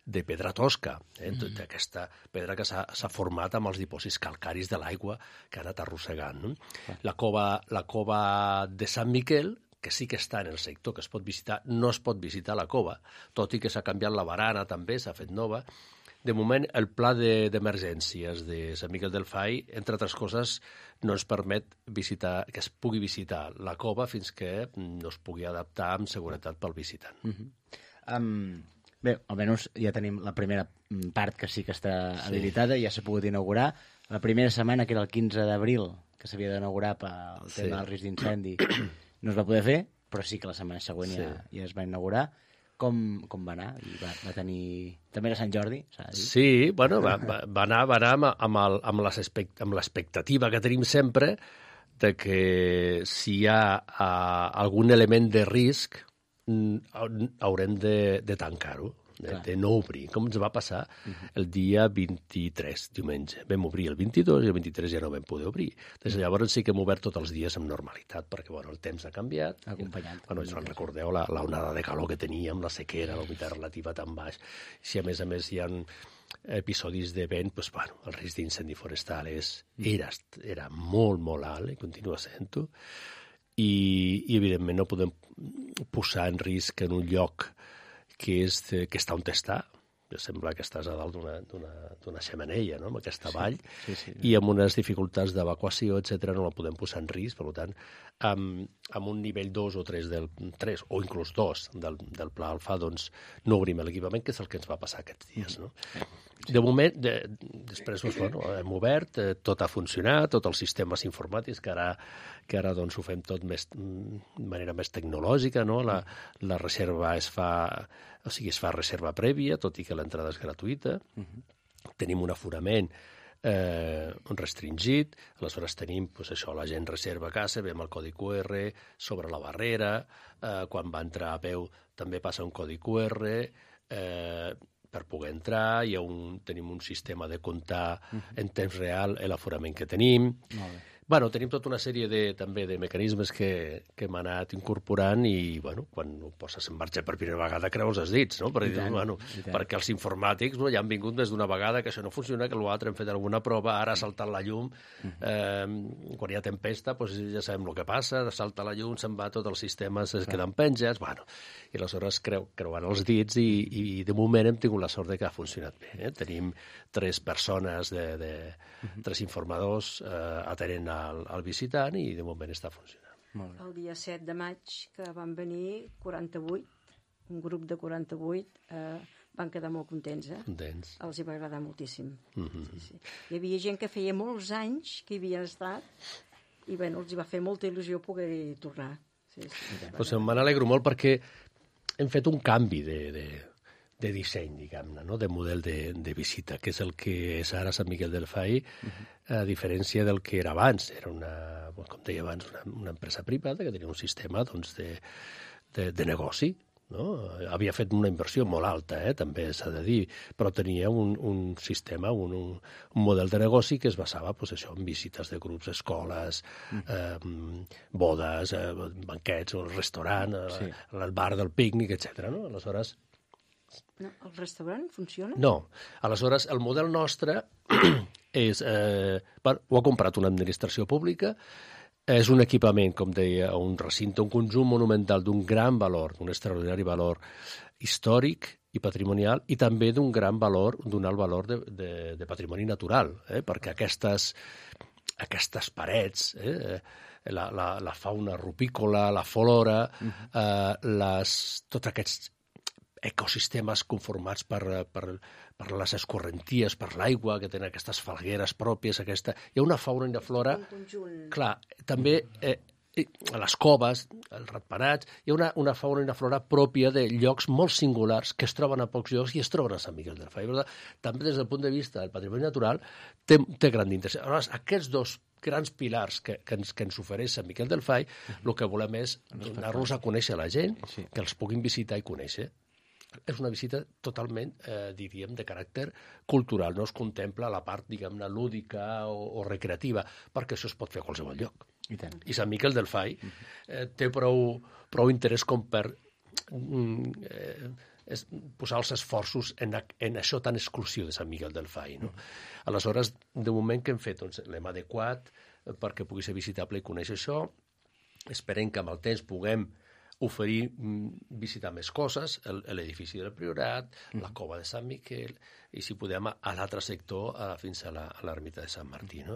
de pedra tosca, eh? mm. d'aquesta pedra que s'ha format amb els dipòsits calcaris de l'aigua que ha anat arrossegant. No? La, cova, la cova de Sant Miquel, que sí que està en el sector que es pot visitar, no es pot visitar la cova, tot i que s'ha canviat la barana també, s'ha fet nova. De moment, el pla d'emergències de, de Sant Miquel del Fai, entre altres coses, no ens permet visitar, que es pugui visitar la cova fins que no es pugui adaptar amb seguretat pel visitant. Uh-huh. um, bé, almenys ja tenim la primera part que sí que està sí. habilitada, ja s'ha pogut inaugurar. La primera setmana, que era el quinze d'abril, que s'havia d'inaugurar pel tema sí. del risc d'incendi, no es va poder fer, però sí que la setmana següent sí. ja, ja es va inaugurar. Com, com va anar? I va, va tenir... També era Sant Jordi, s'ha de dir? Sí, bueno, va, va, va anar, va anar amb, amb, el, amb l'expectativa que tenim sempre de que si hi ha uh, algun element de risc, haurem de, de tancar-ho, de, de no obrir, com ens va passar el dia vint-i-tres, diumenge. Vam obrir el vint-i-dos i el vint-i-tres ja no vam poder obrir. Des de llavors sí que hem obert tots els dies amb normalitat, perquè bueno, el temps ha canviat. Acompanyat. Bueno, si recordeu la, la onada de calor que teníem, la sequera, la humitat relativa tan baix. Si a més a més hi ha episodis de vent, doncs, bueno, el risc d'incendi forestal és, era, era molt, molt alt, i continua sent-ho. I, i evidentment no podem posar en risc en un lloc que, és, que està on està. Sembla que estàs a dalt d'una xemeneia, no?, amb aquesta vall, sí, sí, sí. I amb unes dificultats d'evacuació, etcètera, no la podem posar en risc. Per tant, amb, amb un nivell dos o tres, del, tres o inclús dos del, del pla alfa, doncs no obrim l'equipament, que és el que ens va passar aquests dies. No? De moment, de, després doncs, bueno, hem obert, eh, tot ha funcionat, tots els sistemes informàtics, que ara, que ara doncs, ho fem tot més, de manera més tecnològica, no? La, la reserva es fa, o sigui, es fa reserva prèvia, tot i que l'entrada és gratuïta. Uh-huh. Tenim un aforament eh, restringit, aleshores tenim, doncs, això, la gent reserva a casa, veiem el codi Q R sobre la barrera, eh, quan va entrar a peu també passa un codi Q R, eh, per poder entrar, hi ha un, tenim un sistema de comptar uh-huh. en temps real l'aforament que tenim. Molt bé. Bueno, tenim tota una sèrie de, també de mecanismes que, que hem anat incorporant i, bueno, quan ho poses en marxa per primera vegada creus els dits, no? Perquè, tant, bueno, perquè els informàtics no, ja han vingut més d'una vegada que això no funciona, que l'altre hem fet alguna prova, ara ha saltat la llum, uh-huh. eh, quan hi ha tempesta, doncs ja sabem el que passa, salta la llum, se'n va, tots els sistemes es queden penjats, bueno, i aleshores creu, creuant els dits i, i de moment hem tingut la sort de que ha funcionat bé. Eh? Tenim tres persones, de, de, uh-huh. tres informadors eh, atenent al, al visitant i de moment està funcionant. El dia set de maig, que van venir quaranta-vuit, un grup de quaranta-vuit, eh, van quedar molt contents. Eh? Contents. Els hi va agradar moltíssim. Uh-huh. Sí, sí. Hi havia gent que feia molts anys que hi havien estat i bueno, els hi va fer molta il·lusió poder tornar. Sí, sí, pues me n'alegro molt perquè hem fet un canvi de, de, de disseny, diguem-ne, no? De model de, de visita, que és el que és ara Sant Miquel del Fai, uh-huh. a diferència del que era abans. Era una, com deia abans, una, una empresa privada que tenia un sistema doncs, de, de, de negoci. No? Havia fet una inversió molt alta, eh? També s'ha de dir, però tenia un, un sistema, un, un, un model de negoci que es basava pues, això, en visites de grups, escoles, mm. eh, bodes, eh, banquets, el restaurant, sí. el, el bar del pícnic, etcètera. No? Aleshores... No, el restaurant funciona? No. Aleshores, el model nostre és... Eh, bueno, ho ha comprat una administració pública. És un equipament, com deia, un recinte, un conjunt monumental d'un gran valor, d'un extraordinari valor històric i patrimonial, i també d'un gran valor, d'un alt valor de, de, de patrimoni natural, eh? Perquè aquestes, aquestes parets, eh? la, la, la fauna rupícola, la flora, uh-huh. eh, les, tots aquests ecosistemes conformats per, per, per les escorrenties, per l'aigua, que tenen aquestes falgueres pròpies, aquesta... Hi ha una fauna i una flora... Clar, també eh, les coves, els ratpenats, hi ha una, una fauna i una flora pròpia de llocs molt singulars que es troben a pocs llocs i es troben a Sant Miquel del Fai. També des del punt de vista del patrimoni natural té, té gran interès. Aleshores, aquests dos grans pilars que, que, ens, que ens ofereix Sant Miquel del Fai, el que volem és donar-los a conèixer a la gent, que els puguin visitar i conèixer. És una visita totalment, eh, diríem, de caràcter cultural. No es contempla la part, diguem-ne, lúdica o, o recreativa, perquè això es pot fer a qualsevol lloc. I, tant. I Sant Miquel del Fai eh, té prou, prou interès com per mm, eh, es, posar els esforços en, en això tan exclusiu de Sant Miquel del Fai. No? Aleshores, de moment que hem fet, doncs, l'hem adequat perquè pugui ser visitable i conèixer això. Esperem que amb el temps puguem oferir, visitar més coses, l'edifici del Priorat, mm. la cova de Sant Miquel, i si podem a l'altre sector, a, fins a l'ermita de Sant Martí. No?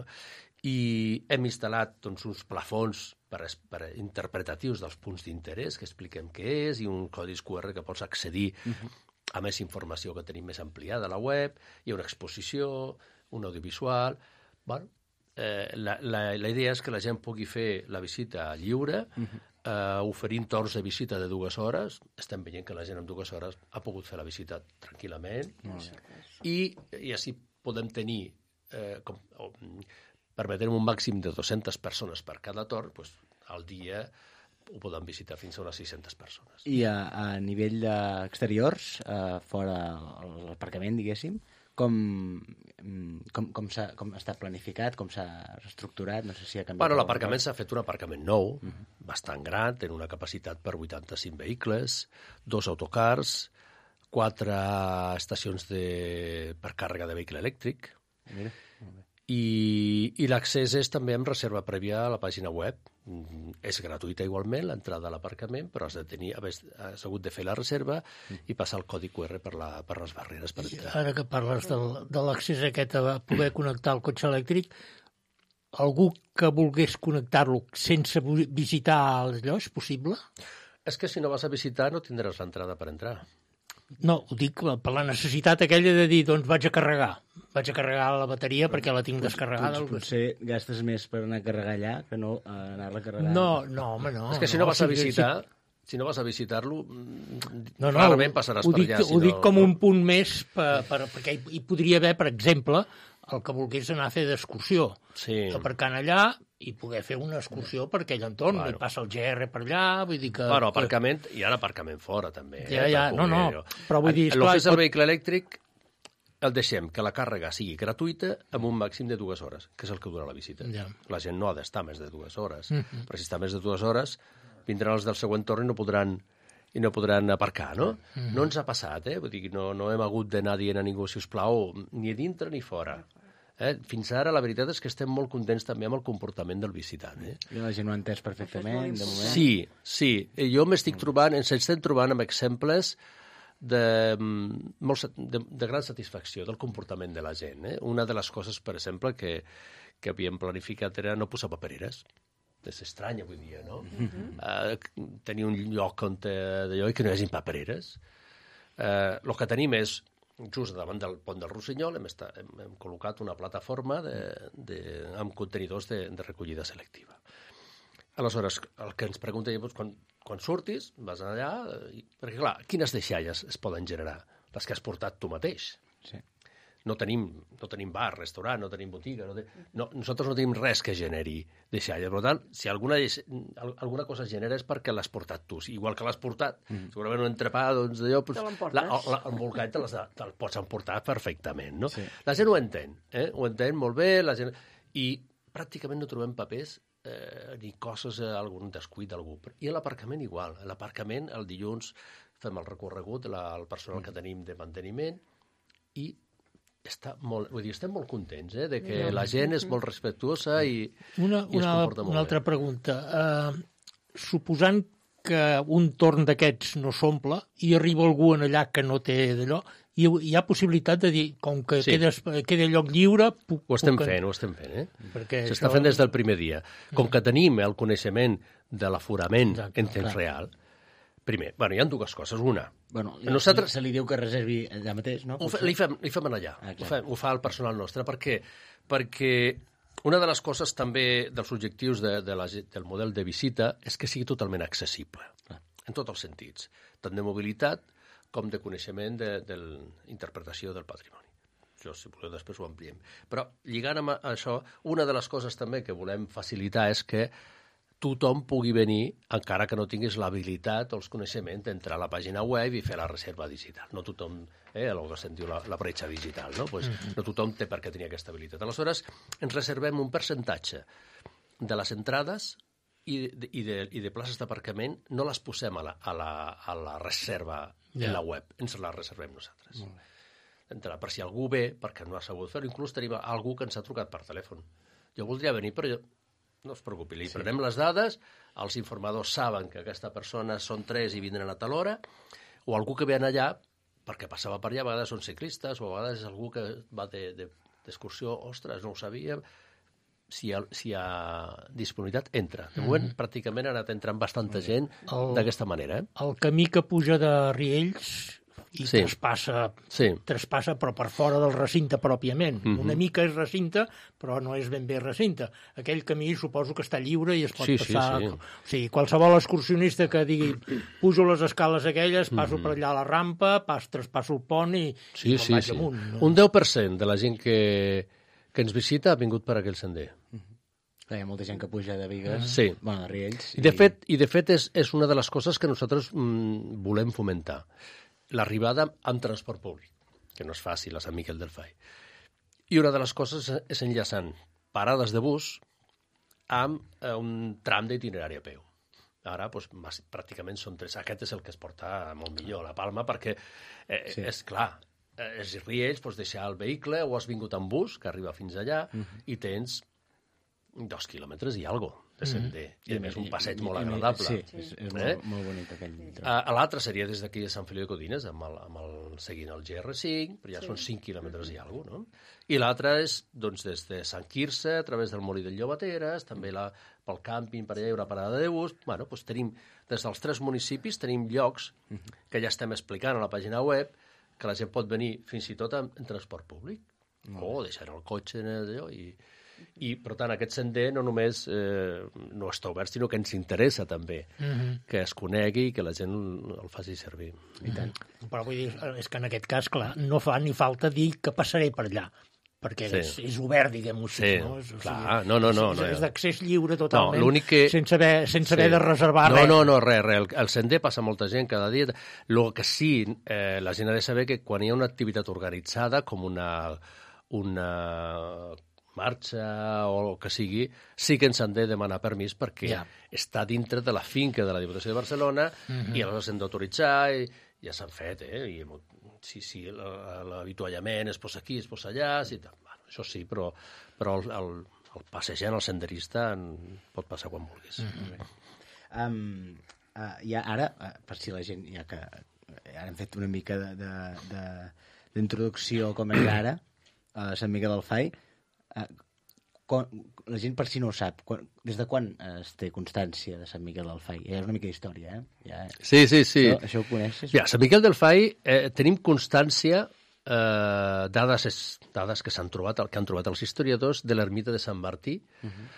I hem instal·lat doncs, uns plafons per, per interpretatius dels punts d'interès, que expliquem què és, i un codi Q R que pots accedir mm-hmm. a més informació que tenim més ampliada a la web, hi ha una exposició, un audiovisual... Bueno, eh, la, la, la idea és que la gent pugui fer la visita lliure, mm-hmm. Uh, oferint torns de visita de dues hores. Estem veient que la gent en dues hores ha pogut fer la visita tranquil·lament. Mm. I, i així podem tenir, eh, com, permetent un màxim de dues-centes persones per cada torn, doncs, al dia ho poden visitar fins a unes sis-centes persones. I a, a nivell d'exteriors, eh, fora l'aparcament, diguéssim, com, com, com, s'ha, com està planificat, com s'ha estructurat, no sé si ha canviat... Bueno, l'aparcament s'ha fet un aparcament nou, uh-huh. bastant gran, té una capacitat per vuitanta-cinc vehicles, dos autocars, quatre estacions de, per càrrega de vehicle elèctric, Mira, molt bé. i, i l'accés és també amb reserva prèvia a la pàgina web. És gratuïta igualment l'entrada a l'aparcament, però has de tenir, has hagut de fer la reserva i passar el codi Q R per, la, per les barreres per entrar. Ara que parles del, de l'accés aquest a poder connectar el cotxe elèctric, algú que volgués connectar-lo sense visitar allò és possible? És que si no vas a visitar no tindràs l'entrada per entrar. No, ho dic per la necessitat aquella de dir, doncs vaig a carregar. Vaig a carregar la bateria perquè la tinc descarregada. Potser, potser gastes més per anar a carregar allà que no a anar-la a carregar. No, no, home, no. És que si no, no vas a visitar... Si no vas a visitar-lo, no, no, clarament passaràs ho per dic, allà. Si ho no... dic com un punt més, per, per, perquè hi, hi podria haver, per exemple, el que volgués anar a fer d'excursió. Sí. Aparcant allà i poder fer una excursió per aquell entorn. Bueno. I passa el G R per allà, vull dir que... Bueno, aparcament, hi ha aparcament fora, també. Ja, eh, ja, no, no, però vull dir... El que és el vehicle elèctric, el deixem que la càrrega sigui gratuïta amb un màxim de dues hores, que és el que dura la visita. Ja. La gent no ha d'estar més de dues hores, uh-huh. però si està més de dues hores, vindran els del següent torn i no podran, i no podran aparcar, no? Uh-huh. No ens ha passat, eh? Vull dir, no, no hem hagut d'anar dient a ningú, si us plau, ni a dintre ni fora. Eh? Fins ara, la veritat és que estem molt contents també amb el comportament del visitant. Eh? I la gent ho ha entès perfectament, de moment. Sí, sí. Jo m'estic trobant, ens estem trobant amb exemples de, molt, de, de gran satisfacció del comportament de la gent. Eh? Una de les coses, per exemple, que, que havíem planificat era no posar papereres. És estrany avui dia, no? Uh-huh. Uh, tenir un lloc on d'allò i que no hi hagi papereres. Uh, el que tenim és, just davant del pont del Rossinyol, hem, estat, hem, hem col·locat una plataforma de, de, amb contenidors de, de recollida selectiva. Aleshores, el que ens preguntem és, quan, quan surtis, vas allà, i, perquè clar, quines deixalles es poden generar? Les que has portat tu mateix. Sí. No tenim, no tenim bar, restaurant, no tenim botiga, no, ten... no nosaltres no tenim res que generi deixalles. Per tant, si alguna, alguna cosa genera és perquè l'has portat tu. Igual que l'has portat, mm. segurament un entrepà, doncs d'allò... Pues, l'embolcall te te'l pots emportar perfectament, no? Sí. La gent ho entén, eh? Ho entén molt bé, la gent... I pràcticament no trobem papers eh, ni coses, eh, algun descuit d'algú. I a l'aparcament igual. A l'aparcament, el dilluns, fem el recorregut, la, el personal mm. que tenim de manteniment i està molt, vull dir, estem molt contents eh, de que la gent és molt respectuosa i, una, i es una, comporta molt una altra bé. pregunta. Uh, suposant que un torn d'aquests no s'omple i arriba algú en allà que no té d'allò, hi, hi ha possibilitat de dir, com que sí. quedes, queda lloc lliure... Puc, ho estem puc... fent, ho estem fent, eh? S'està això... fent des del primer dia. Com que tenim el coneixement de l'aforament en temps clar. real, primer, bueno, hi ha dues coses. Una, bueno, nosaltres... se li diu que reservi allà mateix, no? Ho fa, li, fem, li fem allà, ah, ho, fa, ho fa el personal nostre. Per què? Perquè una de les coses també dels objectius de, de la, del model de visita és que sigui totalment accessible, ah. en tots els sentits, tant de mobilitat com de coneixement de, de l'interpretació del patrimoni. Això, si voleu, després ho ampliem. Però, lligant amb això, una de les coses també que volem facilitar és que tothom pugui venir, encara que no tinguis l'habilitat o els coneixements d'entrar a la pàgina web i fer la reserva digital. No tothom, eh, el que se'n diu la, la bretxa digital, no? Pues, mm-hmm. no tothom té per què tenir aquesta habilitat. Aleshores, ens reservem un percentatge de les entrades i de, i de, i de places d'aparcament, no les posem a la, a la, a la reserva yeah. en la web, ens les reservem nosaltres. Mm. Entrar, per si algú ve, perquè no ha sabut fer-ho, inclús tenim algú que ens ha trucat per telèfon. Jo voldria venir, però jo... No es preocupi, li sí. prenem les dades, els informadors saben que aquesta persona són tres i vindran a tal hora, o algú que ve allà, perquè passava per allà, a vegades són ciclistes, o a vegades és algú que va d'excursió, de, de, ostres, no ho sabíem, si hi ha, si hi ha disponibilitat, entra. De moment, mm. pràcticament ha anat entrant bastanta gent d'aquesta manera. Eh? El camí que puja de Riells i sí. traspassa, sí. traspassa però per fora del recinte pròpiament. Mm-hmm. Una mica és recinte, però no és ben bé recinte. Aquell camí suposo que està lliure i es pot sí, passar... Sí, sí. O sigui, qualsevol excursionista que digui pujo les escales aquelles, passo mm-hmm. per allà a la rampa, pas, traspasso el pont i, sí, i sí, vaig sí. amunt. No? Un deu per cent de la gent que, que ens visita ha vingut per aquell sender. Hi ha molta gent que puja de Bigues, Sí. bueno, de Riells. I de fet, i de fet és, és una de les coses que nosaltres mm, volem fomentar. L'arribada amb transport públic, que no és fàcil a Sant Miquel del Fai. I una de les coses és enllaçant parades de bus amb eh, un tram d'itinerari a peu. Ara, doncs, pràcticament són tres. Aquest és el que es porta molt millor a la Palma, perquè eh, sí. és clar, és Riells, pots deixar el vehicle o has vingut amb bus, que arriba fins allà, uh -huh. i tens dos quilòmetres i algo de sender. Mm. I, a més, un passeig molt agradable. Sí, sí. és, és eh? molt, molt bonic aquell tram. A, a l'altre seria des d'aquí de Sant Feliu de Codines, amb el, amb el, seguint el G R cinc, però ja sí. són cinc quilòmetres i alguna cosa, no? I l'altre és, doncs, des de Sant Quirze, a través del Molí del Llobateres, també la, pel càmping, per allà hi ha una parada de bus. Bueno, doncs tenim, des dels tres municipis, tenim llocs que ja estem explicant a la pàgina web, que la gent pot venir fins i tot en, en transport públic, mm. o deixar el cotxe en allò, i... I, per tant, aquest sender no només eh, no està obert, sinó que ens interessa també uh-huh. que es conegui i que la gent el faci servir. I tant. Uh-huh. Però vull dir, és que en aquest cas, clar, no fa ni falta dir que passaré per allà, perquè sí. és, és obert, diguem-ho així. Sí, no? És, clar, o sigui, no, no, no. És, no, és d'accés lliure totalment, no, que... sense haver, sense sí. haver de reservar no, res. No, no, res, res. El, el sender passa molta gent cada dia. El que sí, eh, la gent ha de saber que quan hi ha una activitat organitzada, com una... una marxa o el que sigui, sí que ens han de demanar permís perquè ja. està dintre de la finca de la Diputació de Barcelona uh-huh. i aleshores hem d'autoritzar i ja s'han fet, eh? I, sí, sí, l'avituallament es posa aquí, es posa allà, sí, bueno, això sí, però, però el, el, el passejant, el senderista, en pot passar quan vulguis. Uh-huh. um, uh, ja ara, uh, per si la gent, ja que ara hem fet una mica d'introducció com és ara, a Sant Miquel del Fai, Uh, quan, la gent per si no ho sap, quan, des de quan uh, es té constància de Sant Miquel del Fai? Ja és una mica d'història, eh? Ja, sí, sí, sí. Això, això ho coneixes? Ja, Sant Miquel del Fai eh, tenim constància, eh, dades, es, dades que s'han trobat, que han trobat els historiadors, de l'ermita de Sant Martí, uh-huh.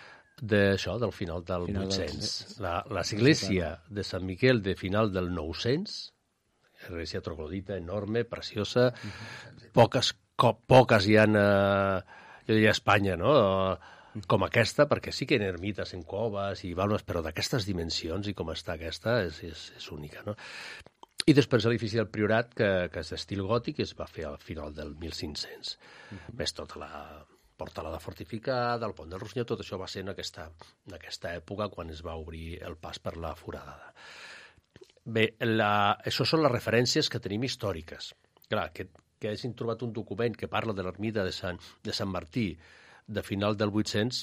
d'això, del final del final vuit-cents. Del... L'església de Sant Miquel de final del nou-cents, església troglodita, enorme, preciosa, uh-huh. poques, co, poques hi ha... Eh, jo diria Espanya, no? Com aquesta, perquè sí que hi ha ermites en coves i balmes, però d'aquestes dimensions i com està aquesta és, és, és única, no? I després l'edifici del Priorat, que, que és d'estil gòtic, es va fer al final del mil cinc-cents. Uh-huh. Més tota la portalada fortificada, el pont del Rossinyol, tot això va ser en aquesta, en aquesta època quan es va obrir el pas per la foradada. Bé, la, això són les referències que tenim històriques. Clar, que que hagin trobat un document que parla de l'ermita de Sant, de Sant Martí de final del vuit-cents,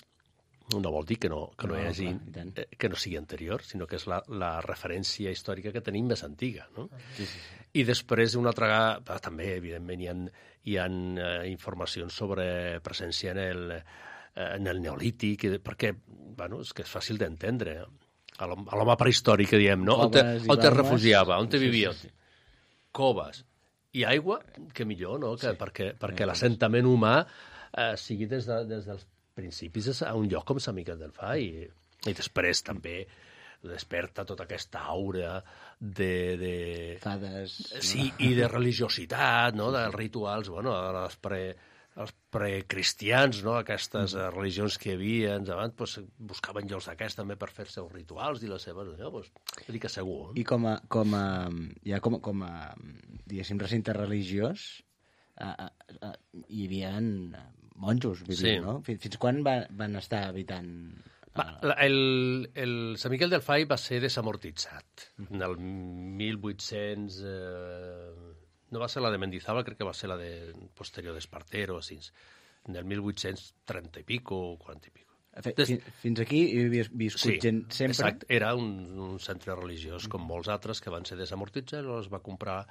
no vol dir que no, que no, no hi hagi, eh, que no sigui anterior, sinó que és la, la referència històrica que tenim més antiga, no? Sí, sí, sí. I després, una altra... També, evidentment, hi ha, hi ha eh, informacions sobre presència en el, eh, en el Neolític, perquè, bueno, és que és fàcil d'entendre. A l'home prehistòric, que diem, no? On te, on te refugiava, on te vivia? Sí, sí, sí. Coves. I aigua, que millor, no? Que, sí. Perquè, perquè l'assentament humà eh, sigui des, de, des dels principis a un lloc com Sant Miquel del Fai. I, i després també desperta tota aquesta aura de... de... Fades. Sí, no? I de religiositat, no? Dels rituals, bueno, els pre... els precristians, no? Aquestes mm. religions que hi havia abans, pues, buscaven llocs d'aquests també per fer els seus rituals i les seves... No? Pues, dir que segur. Eh? I com a, com a, ja com, com a diguéssim, recinte religiós, a, a, a, hi havia monjos vivint, sí. No? Fins, fins quan va, van estar habitant... Va, el, el Sant Miquel del Fai va ser desamortitzat. Mm. En el mil vuit-cents... Eh, no va ser la de Mendizábal, crec que va ser la de posterior d'Espartero, així, en el mil vuit-cents trenta i pico, quaranta i pico. Des... Fins aquí hi havia viscut sí, gent sempre? Exacte, era un, un centre religiós, com molts altres, que van ser desamortitzats, i els va comprar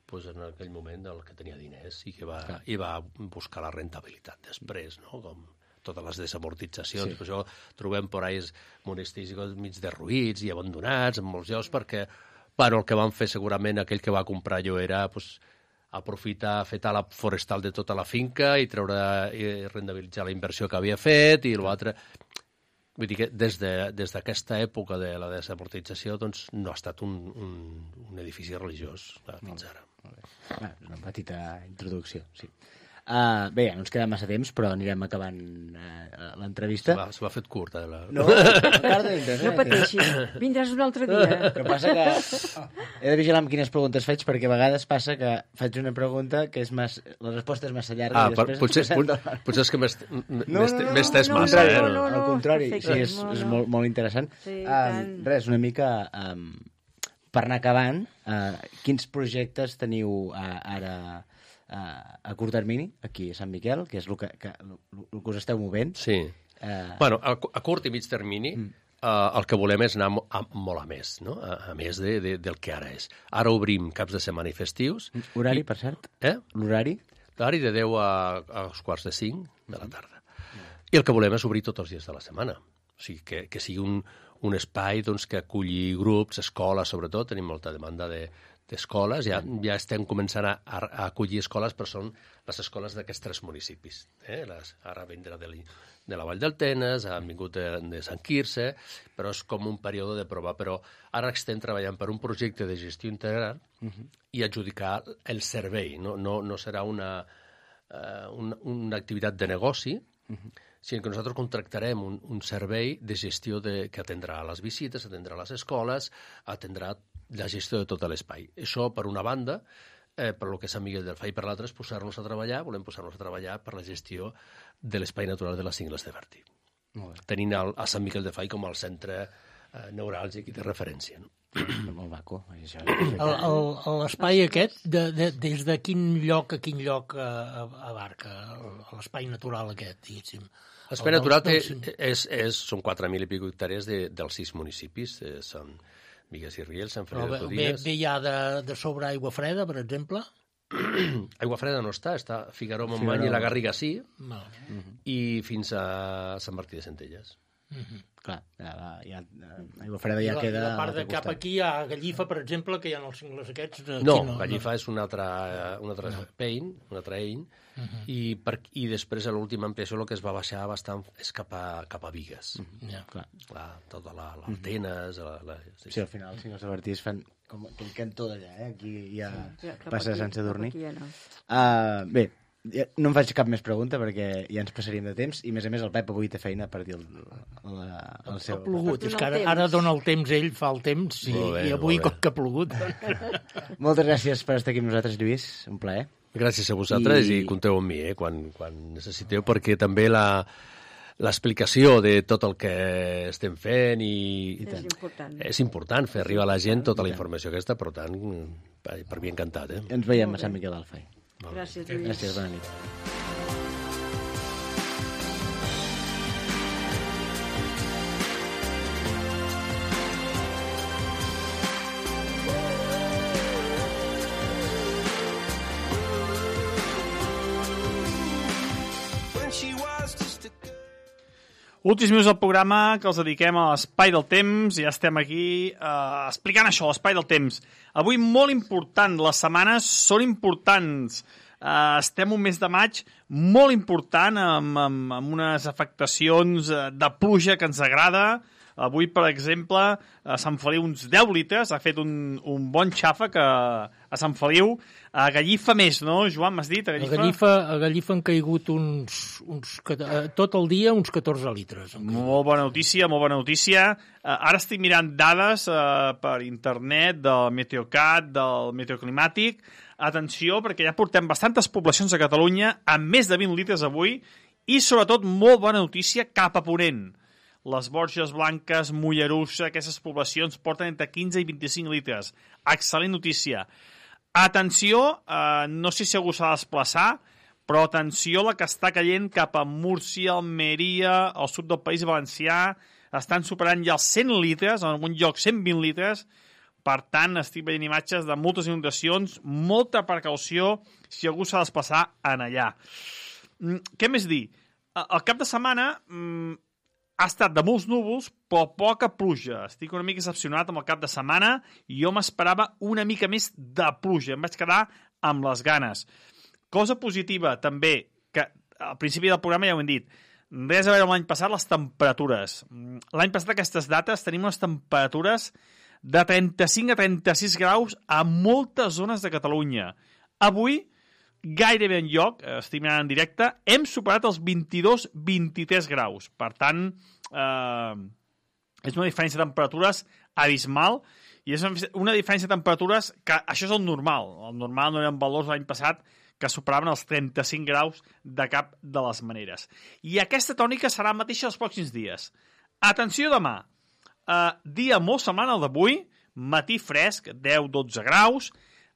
pues, en aquell moment el que tenia diners i que va, i va buscar la rentabilitat després, no? Com totes les desamortitzacions. Sí. Per això trobem por ahí monestirs mig derruïts i abandonats en molts llocs, perquè bueno, el que van fer segurament aquell que va comprar allò era pues, aprofitar, fer tala forestal de tota la finca i treure i rendibilitzar la inversió que havia fet i l'altre... Vull dir que des d'aquesta de, època de la desamortització doncs, no ha estat un, un, un edifici religiós fins ara. Molt bé. Ah, una petita introducció, sí. Uh, bé, ja no ens queda massa temps, però anirem acabant uh, l'entrevista. Se m'ha fet curta. La... No, encara tenim temps. No pateixis, vindràs un altre dia. El que passa que he de vigilar amb quines preguntes faig, perquè a vegades passa que faig una pregunta que és mas... la resposta és massa llarga. Ah, i després potser, pot, potser és que m'he no, no, no, estès no, massa. No, eh? no, no, no, al contrari, perfecte, sí, és, no, és no. molt, molt interessant. Sí, um, res, una mica... Um, per anar acabant, uh, quins projectes teniu uh, ara uh, a curt termini, aquí a Sant Miquel, que és el que, que, el que us esteu movent? Sí. Uh, Bueno, a, a curt i mig termini, mm. uh, el que volem és anar mo- a, molt a més, no? a, a més de, de, del que ara és. Ara obrim caps de setmana i festius. horari, I, per cert? Eh? L'horari? L'horari de deu a, a els quarts de cinc de la tarda. I el que volem és obrir tots els dies de la setmana. O sigui, que, que sigui un, un espai doncs, que aculli grups, escoles, sobretot. Tenim molta demanda de, d'escoles. Ja, ja estem començant a, a acollir escoles, però són les escoles d'aquests tres municipis. Eh? Les, ara vindrà de, de la Vall del Tenes, han vingut de, de Sant Quirze, però és com un període de prova. Però ara estem treballant per un projecte de gestió integral uh-huh. i adjudicar el servei. No, no, no serà una, uh, una, una activitat de negoci, uh-huh. sinó que nosaltres contractarem un, un servei de gestió de, que atendrà les visites, atendrà les escoles, atendrà la gestió de tot l'espai. Això, per una banda, eh, per lo que és Sant Miguel del Fai, per l'altra és posar-nos a treballar, volem posar-nos a treballar per la gestió de l'espai natural de les Cingles de Bertí. Tenint el, a Sant Miquel de Fai com el centre eh, neuràlgic i de referència. No? Molt maco. Això. El- el- L'espai aquest, de, de, des de quin lloc a quin lloc eh, abarca el- l'espai natural aquest, diguéssim? L'espai El- natural té, del- és, és, són quatre mil i pico hectàrees de, dels sis municipis. Eh, són Bigues i Riells, Sant Però Feliu de ve, ve, Codines. ve ja de, de sobre aigua freda, per exemple? Aigua Freda no està, està Figaró, Montmany i la Garriga sí, No. i fins a Sant Martí de Centelles. Clar, ja, ja, Aigua Freda ja I la, queda... la part a de l'altre cap costat. aquí a Gallifa, per exemple, que hi ha els cingles aquests... Aquí No, no, Gallifa és un altre, un altre pein, un altre ell, i, per, i després a l'última ampliació el que es va baixar bastant és cap a, cap a Bigues. No. Ja. Clar. La, tota la, l'Altenes... La, la, sí, Sí, al final, si no s'avertís, fan com aquell cantó d'allà, eh? Aquí ja Ja, cap passa aquí, Sant Sadurní. cap aquí ja no. Uh, bé, ja no em faig cap més pregunta perquè ja ens passaríem de temps i, a més a més, el Pep avui té feina per dir el, el, el, el seu... Ha plogut, Per és donar que ara, el temps. ara dona el temps ell, fa el temps, i, Molt bé, i avui molt bé. com que ha plogut. Moltes gràcies per estar aquí amb nosaltres, Lluís. Un plaer. Gràcies a vosaltres i, I- i compteu amb mi eh, quan, quan necessiteu, perquè també la l'explicació de tot el que estem fent i, i És important. és important fer arribar a la gent tota la informació aquesta, per tant, per, per mi encantat. Eh? Ens veiem a Sant Miquel del Fai. Gràcies, Lluís. Gràcies, bona nit. Últims minuts del programa que els dediquem a l'Espai del Temps. Ja estem aquí eh, explicant això, l'Espai del Temps. Avui molt important, les setmanes són importants. Eh, estem un mes de maig molt important, amb, amb, amb unes afectacions eh, de pluja que ens agrada. Avui, per exemple, a Sant Feliu uns deu litres, ha fet un, un bon xàfec a, a Sant Feliu. A Gallifa més, no, Joan, m'has dit? A A Gallifa? Gallifa, a Gallifa han caigut uns, uns, eh, tot el dia uns catorze litres. han caigut. Molt bona notícia, molt bona notícia. Uh, ara estic mirant dades uh, per internet del Meteocat, del Meteoclimàtic. Atenció, perquè ja portem bastantes poblacions a Catalunya amb més de vint litres avui i, sobretot, molt bona notícia cap a Ponent. Les Borges Blanques, Mollerussa, aquestes poblacions porten entre quinze i vint-i-cinc litres. Excel·lent notícia. Atenció, eh, no sé si algú s'ha de desplaçar, però atenció la que està caient cap a Múrcia, Almeria, al sud del País Valencià, estan superant ja els cent litres, en algun lloc cent vint litres, per tant, estic veient imatges de moltes inundacions, molta precaució si algú s'ha de desplaçar en allà. Mm, què més dir? El cap de setmana mm, ha estat de molts núvols, però poca pluja. Estic una mica decepcionat amb el cap de setmana i jo m'esperava una mica més de pluja. Em vaig quedar amb les ganes. Cosa positiva, també, que al principi del programa ja ho hem dit, res a veure amb l'any passat, les temperatures. L'any passat, aquestes dates, tenim unes temperatures de trenta-cinc a trenta-sis graus a moltes zones de Catalunya. Avui, gairebé enlloc, estic mirant en directe, hem superat els vint-i-dos vint-i-tres graus. Per tant, eh, és una diferència de temperatures abismal, i és una diferència de temperatures que això és el normal. El normal no eren valors l'any passat que superaven els trenta-cinc graus de cap de les maneres. I aquesta tònica serà mateixa els pròxims dies. Atenció demà, eh, dia molt semblant al d'avui, matí fresc, deu dotze graus,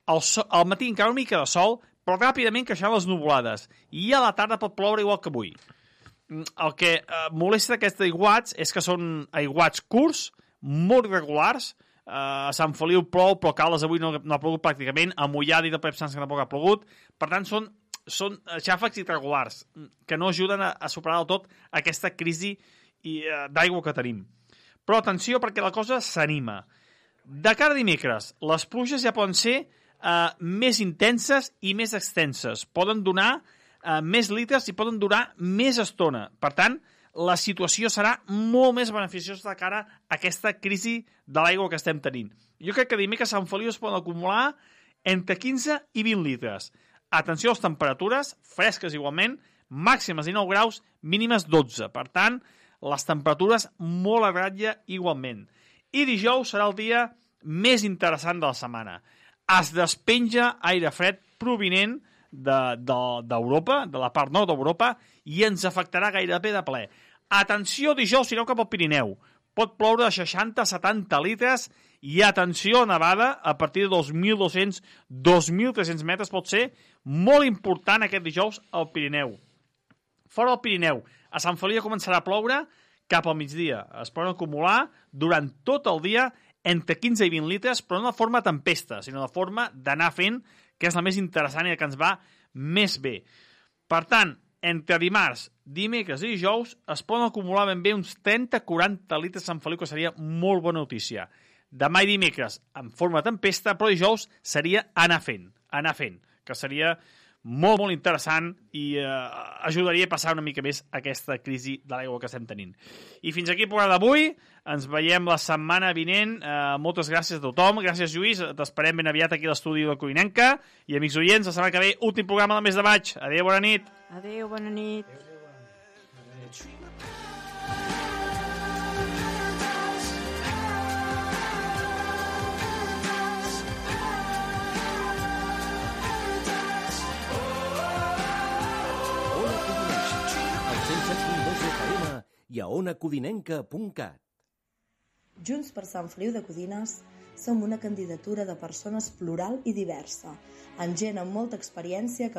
al, so, al matí encara una mica de sol, però ràpidament creixeran les nuvolades, i a la tarda pot ploure igual que avui. El que eh, molesta d'aquests aiguats és que són aiguats curts, molt irregulars. eh, a Sant Feliu plou, però a Caldes avui no, no ha plogut pràcticament, a Mollà i de Pep Sanç que tampoc ha plogut. Per tant, són, són xàfecs irregulars que no ajuden a, a superar del tot aquesta crisi eh, d'aigua que tenim. Però atenció, perquè la cosa s'anima. De cara a dimecres, les pluges ja poden ser Uh, més intenses i més extenses. Poden donar uh, més litres i poden durar més estona. Per tant, la situació serà molt més beneficiosa de cara a aquesta crisi de l'aigua que estem tenint. Jo crec que dimecres a Sant Feliu es poden acumular entre quinze i vint litres. Atenció a les temperatures, fresques igualment, màximes dinou graus, mínimes dotze. Per tant, les temperatures molt a ratlla igualment. I dijous serà el dia més interessant de la setmana. Es despenja aire fred provinent d'Europa, de, de, de la part nord d'Europa, i ens afectarà gairebé de ple. Atenció, dijous, si aneu cap al Pirineu. Pot ploure de seixanta a setanta litres i atenció, nevada a partir de dos mil dos-cents a dos mil tres-cents metres. Pot ser molt important aquest dijous al Pirineu. Fora del Pirineu, a Sant Feliu començarà a ploure cap al migdia. Es poden acumular durant tot el dia entre quinze i vint litres, però no de forma tempesta, sinó de forma d'anar fent, que és la més interessant i que ens va més bé. Per tant, entre dimarts, dimecres i dijous es poden acumular ben bé uns trenta a quaranta litres a Sant Feliu, que seria molt bona notícia. Demà i dimecres en forma tempesta, però dijous seria anar fent, anar fent, que seria molt, molt interessant i eh, ajudaria a passar una mica més aquesta crisi de l'aigua que estem tenint. I fins aquí el programa d'avui. Ens veiem la setmana vinent. Eh, moltes gràcies a tothom. Gràcies, Lluís. T'esperem ben aviat aquí a l'estudi de Coinenca. I, amics oients, la setmana que ve, últim programa del mes de maig. Adéu, bona nit. Adéu, bona nit. I a ona codinenca punt cat. Junts per Sant Feliu de Codines som una candidatura de persones plural i diversa, amb gent amb molta experiència que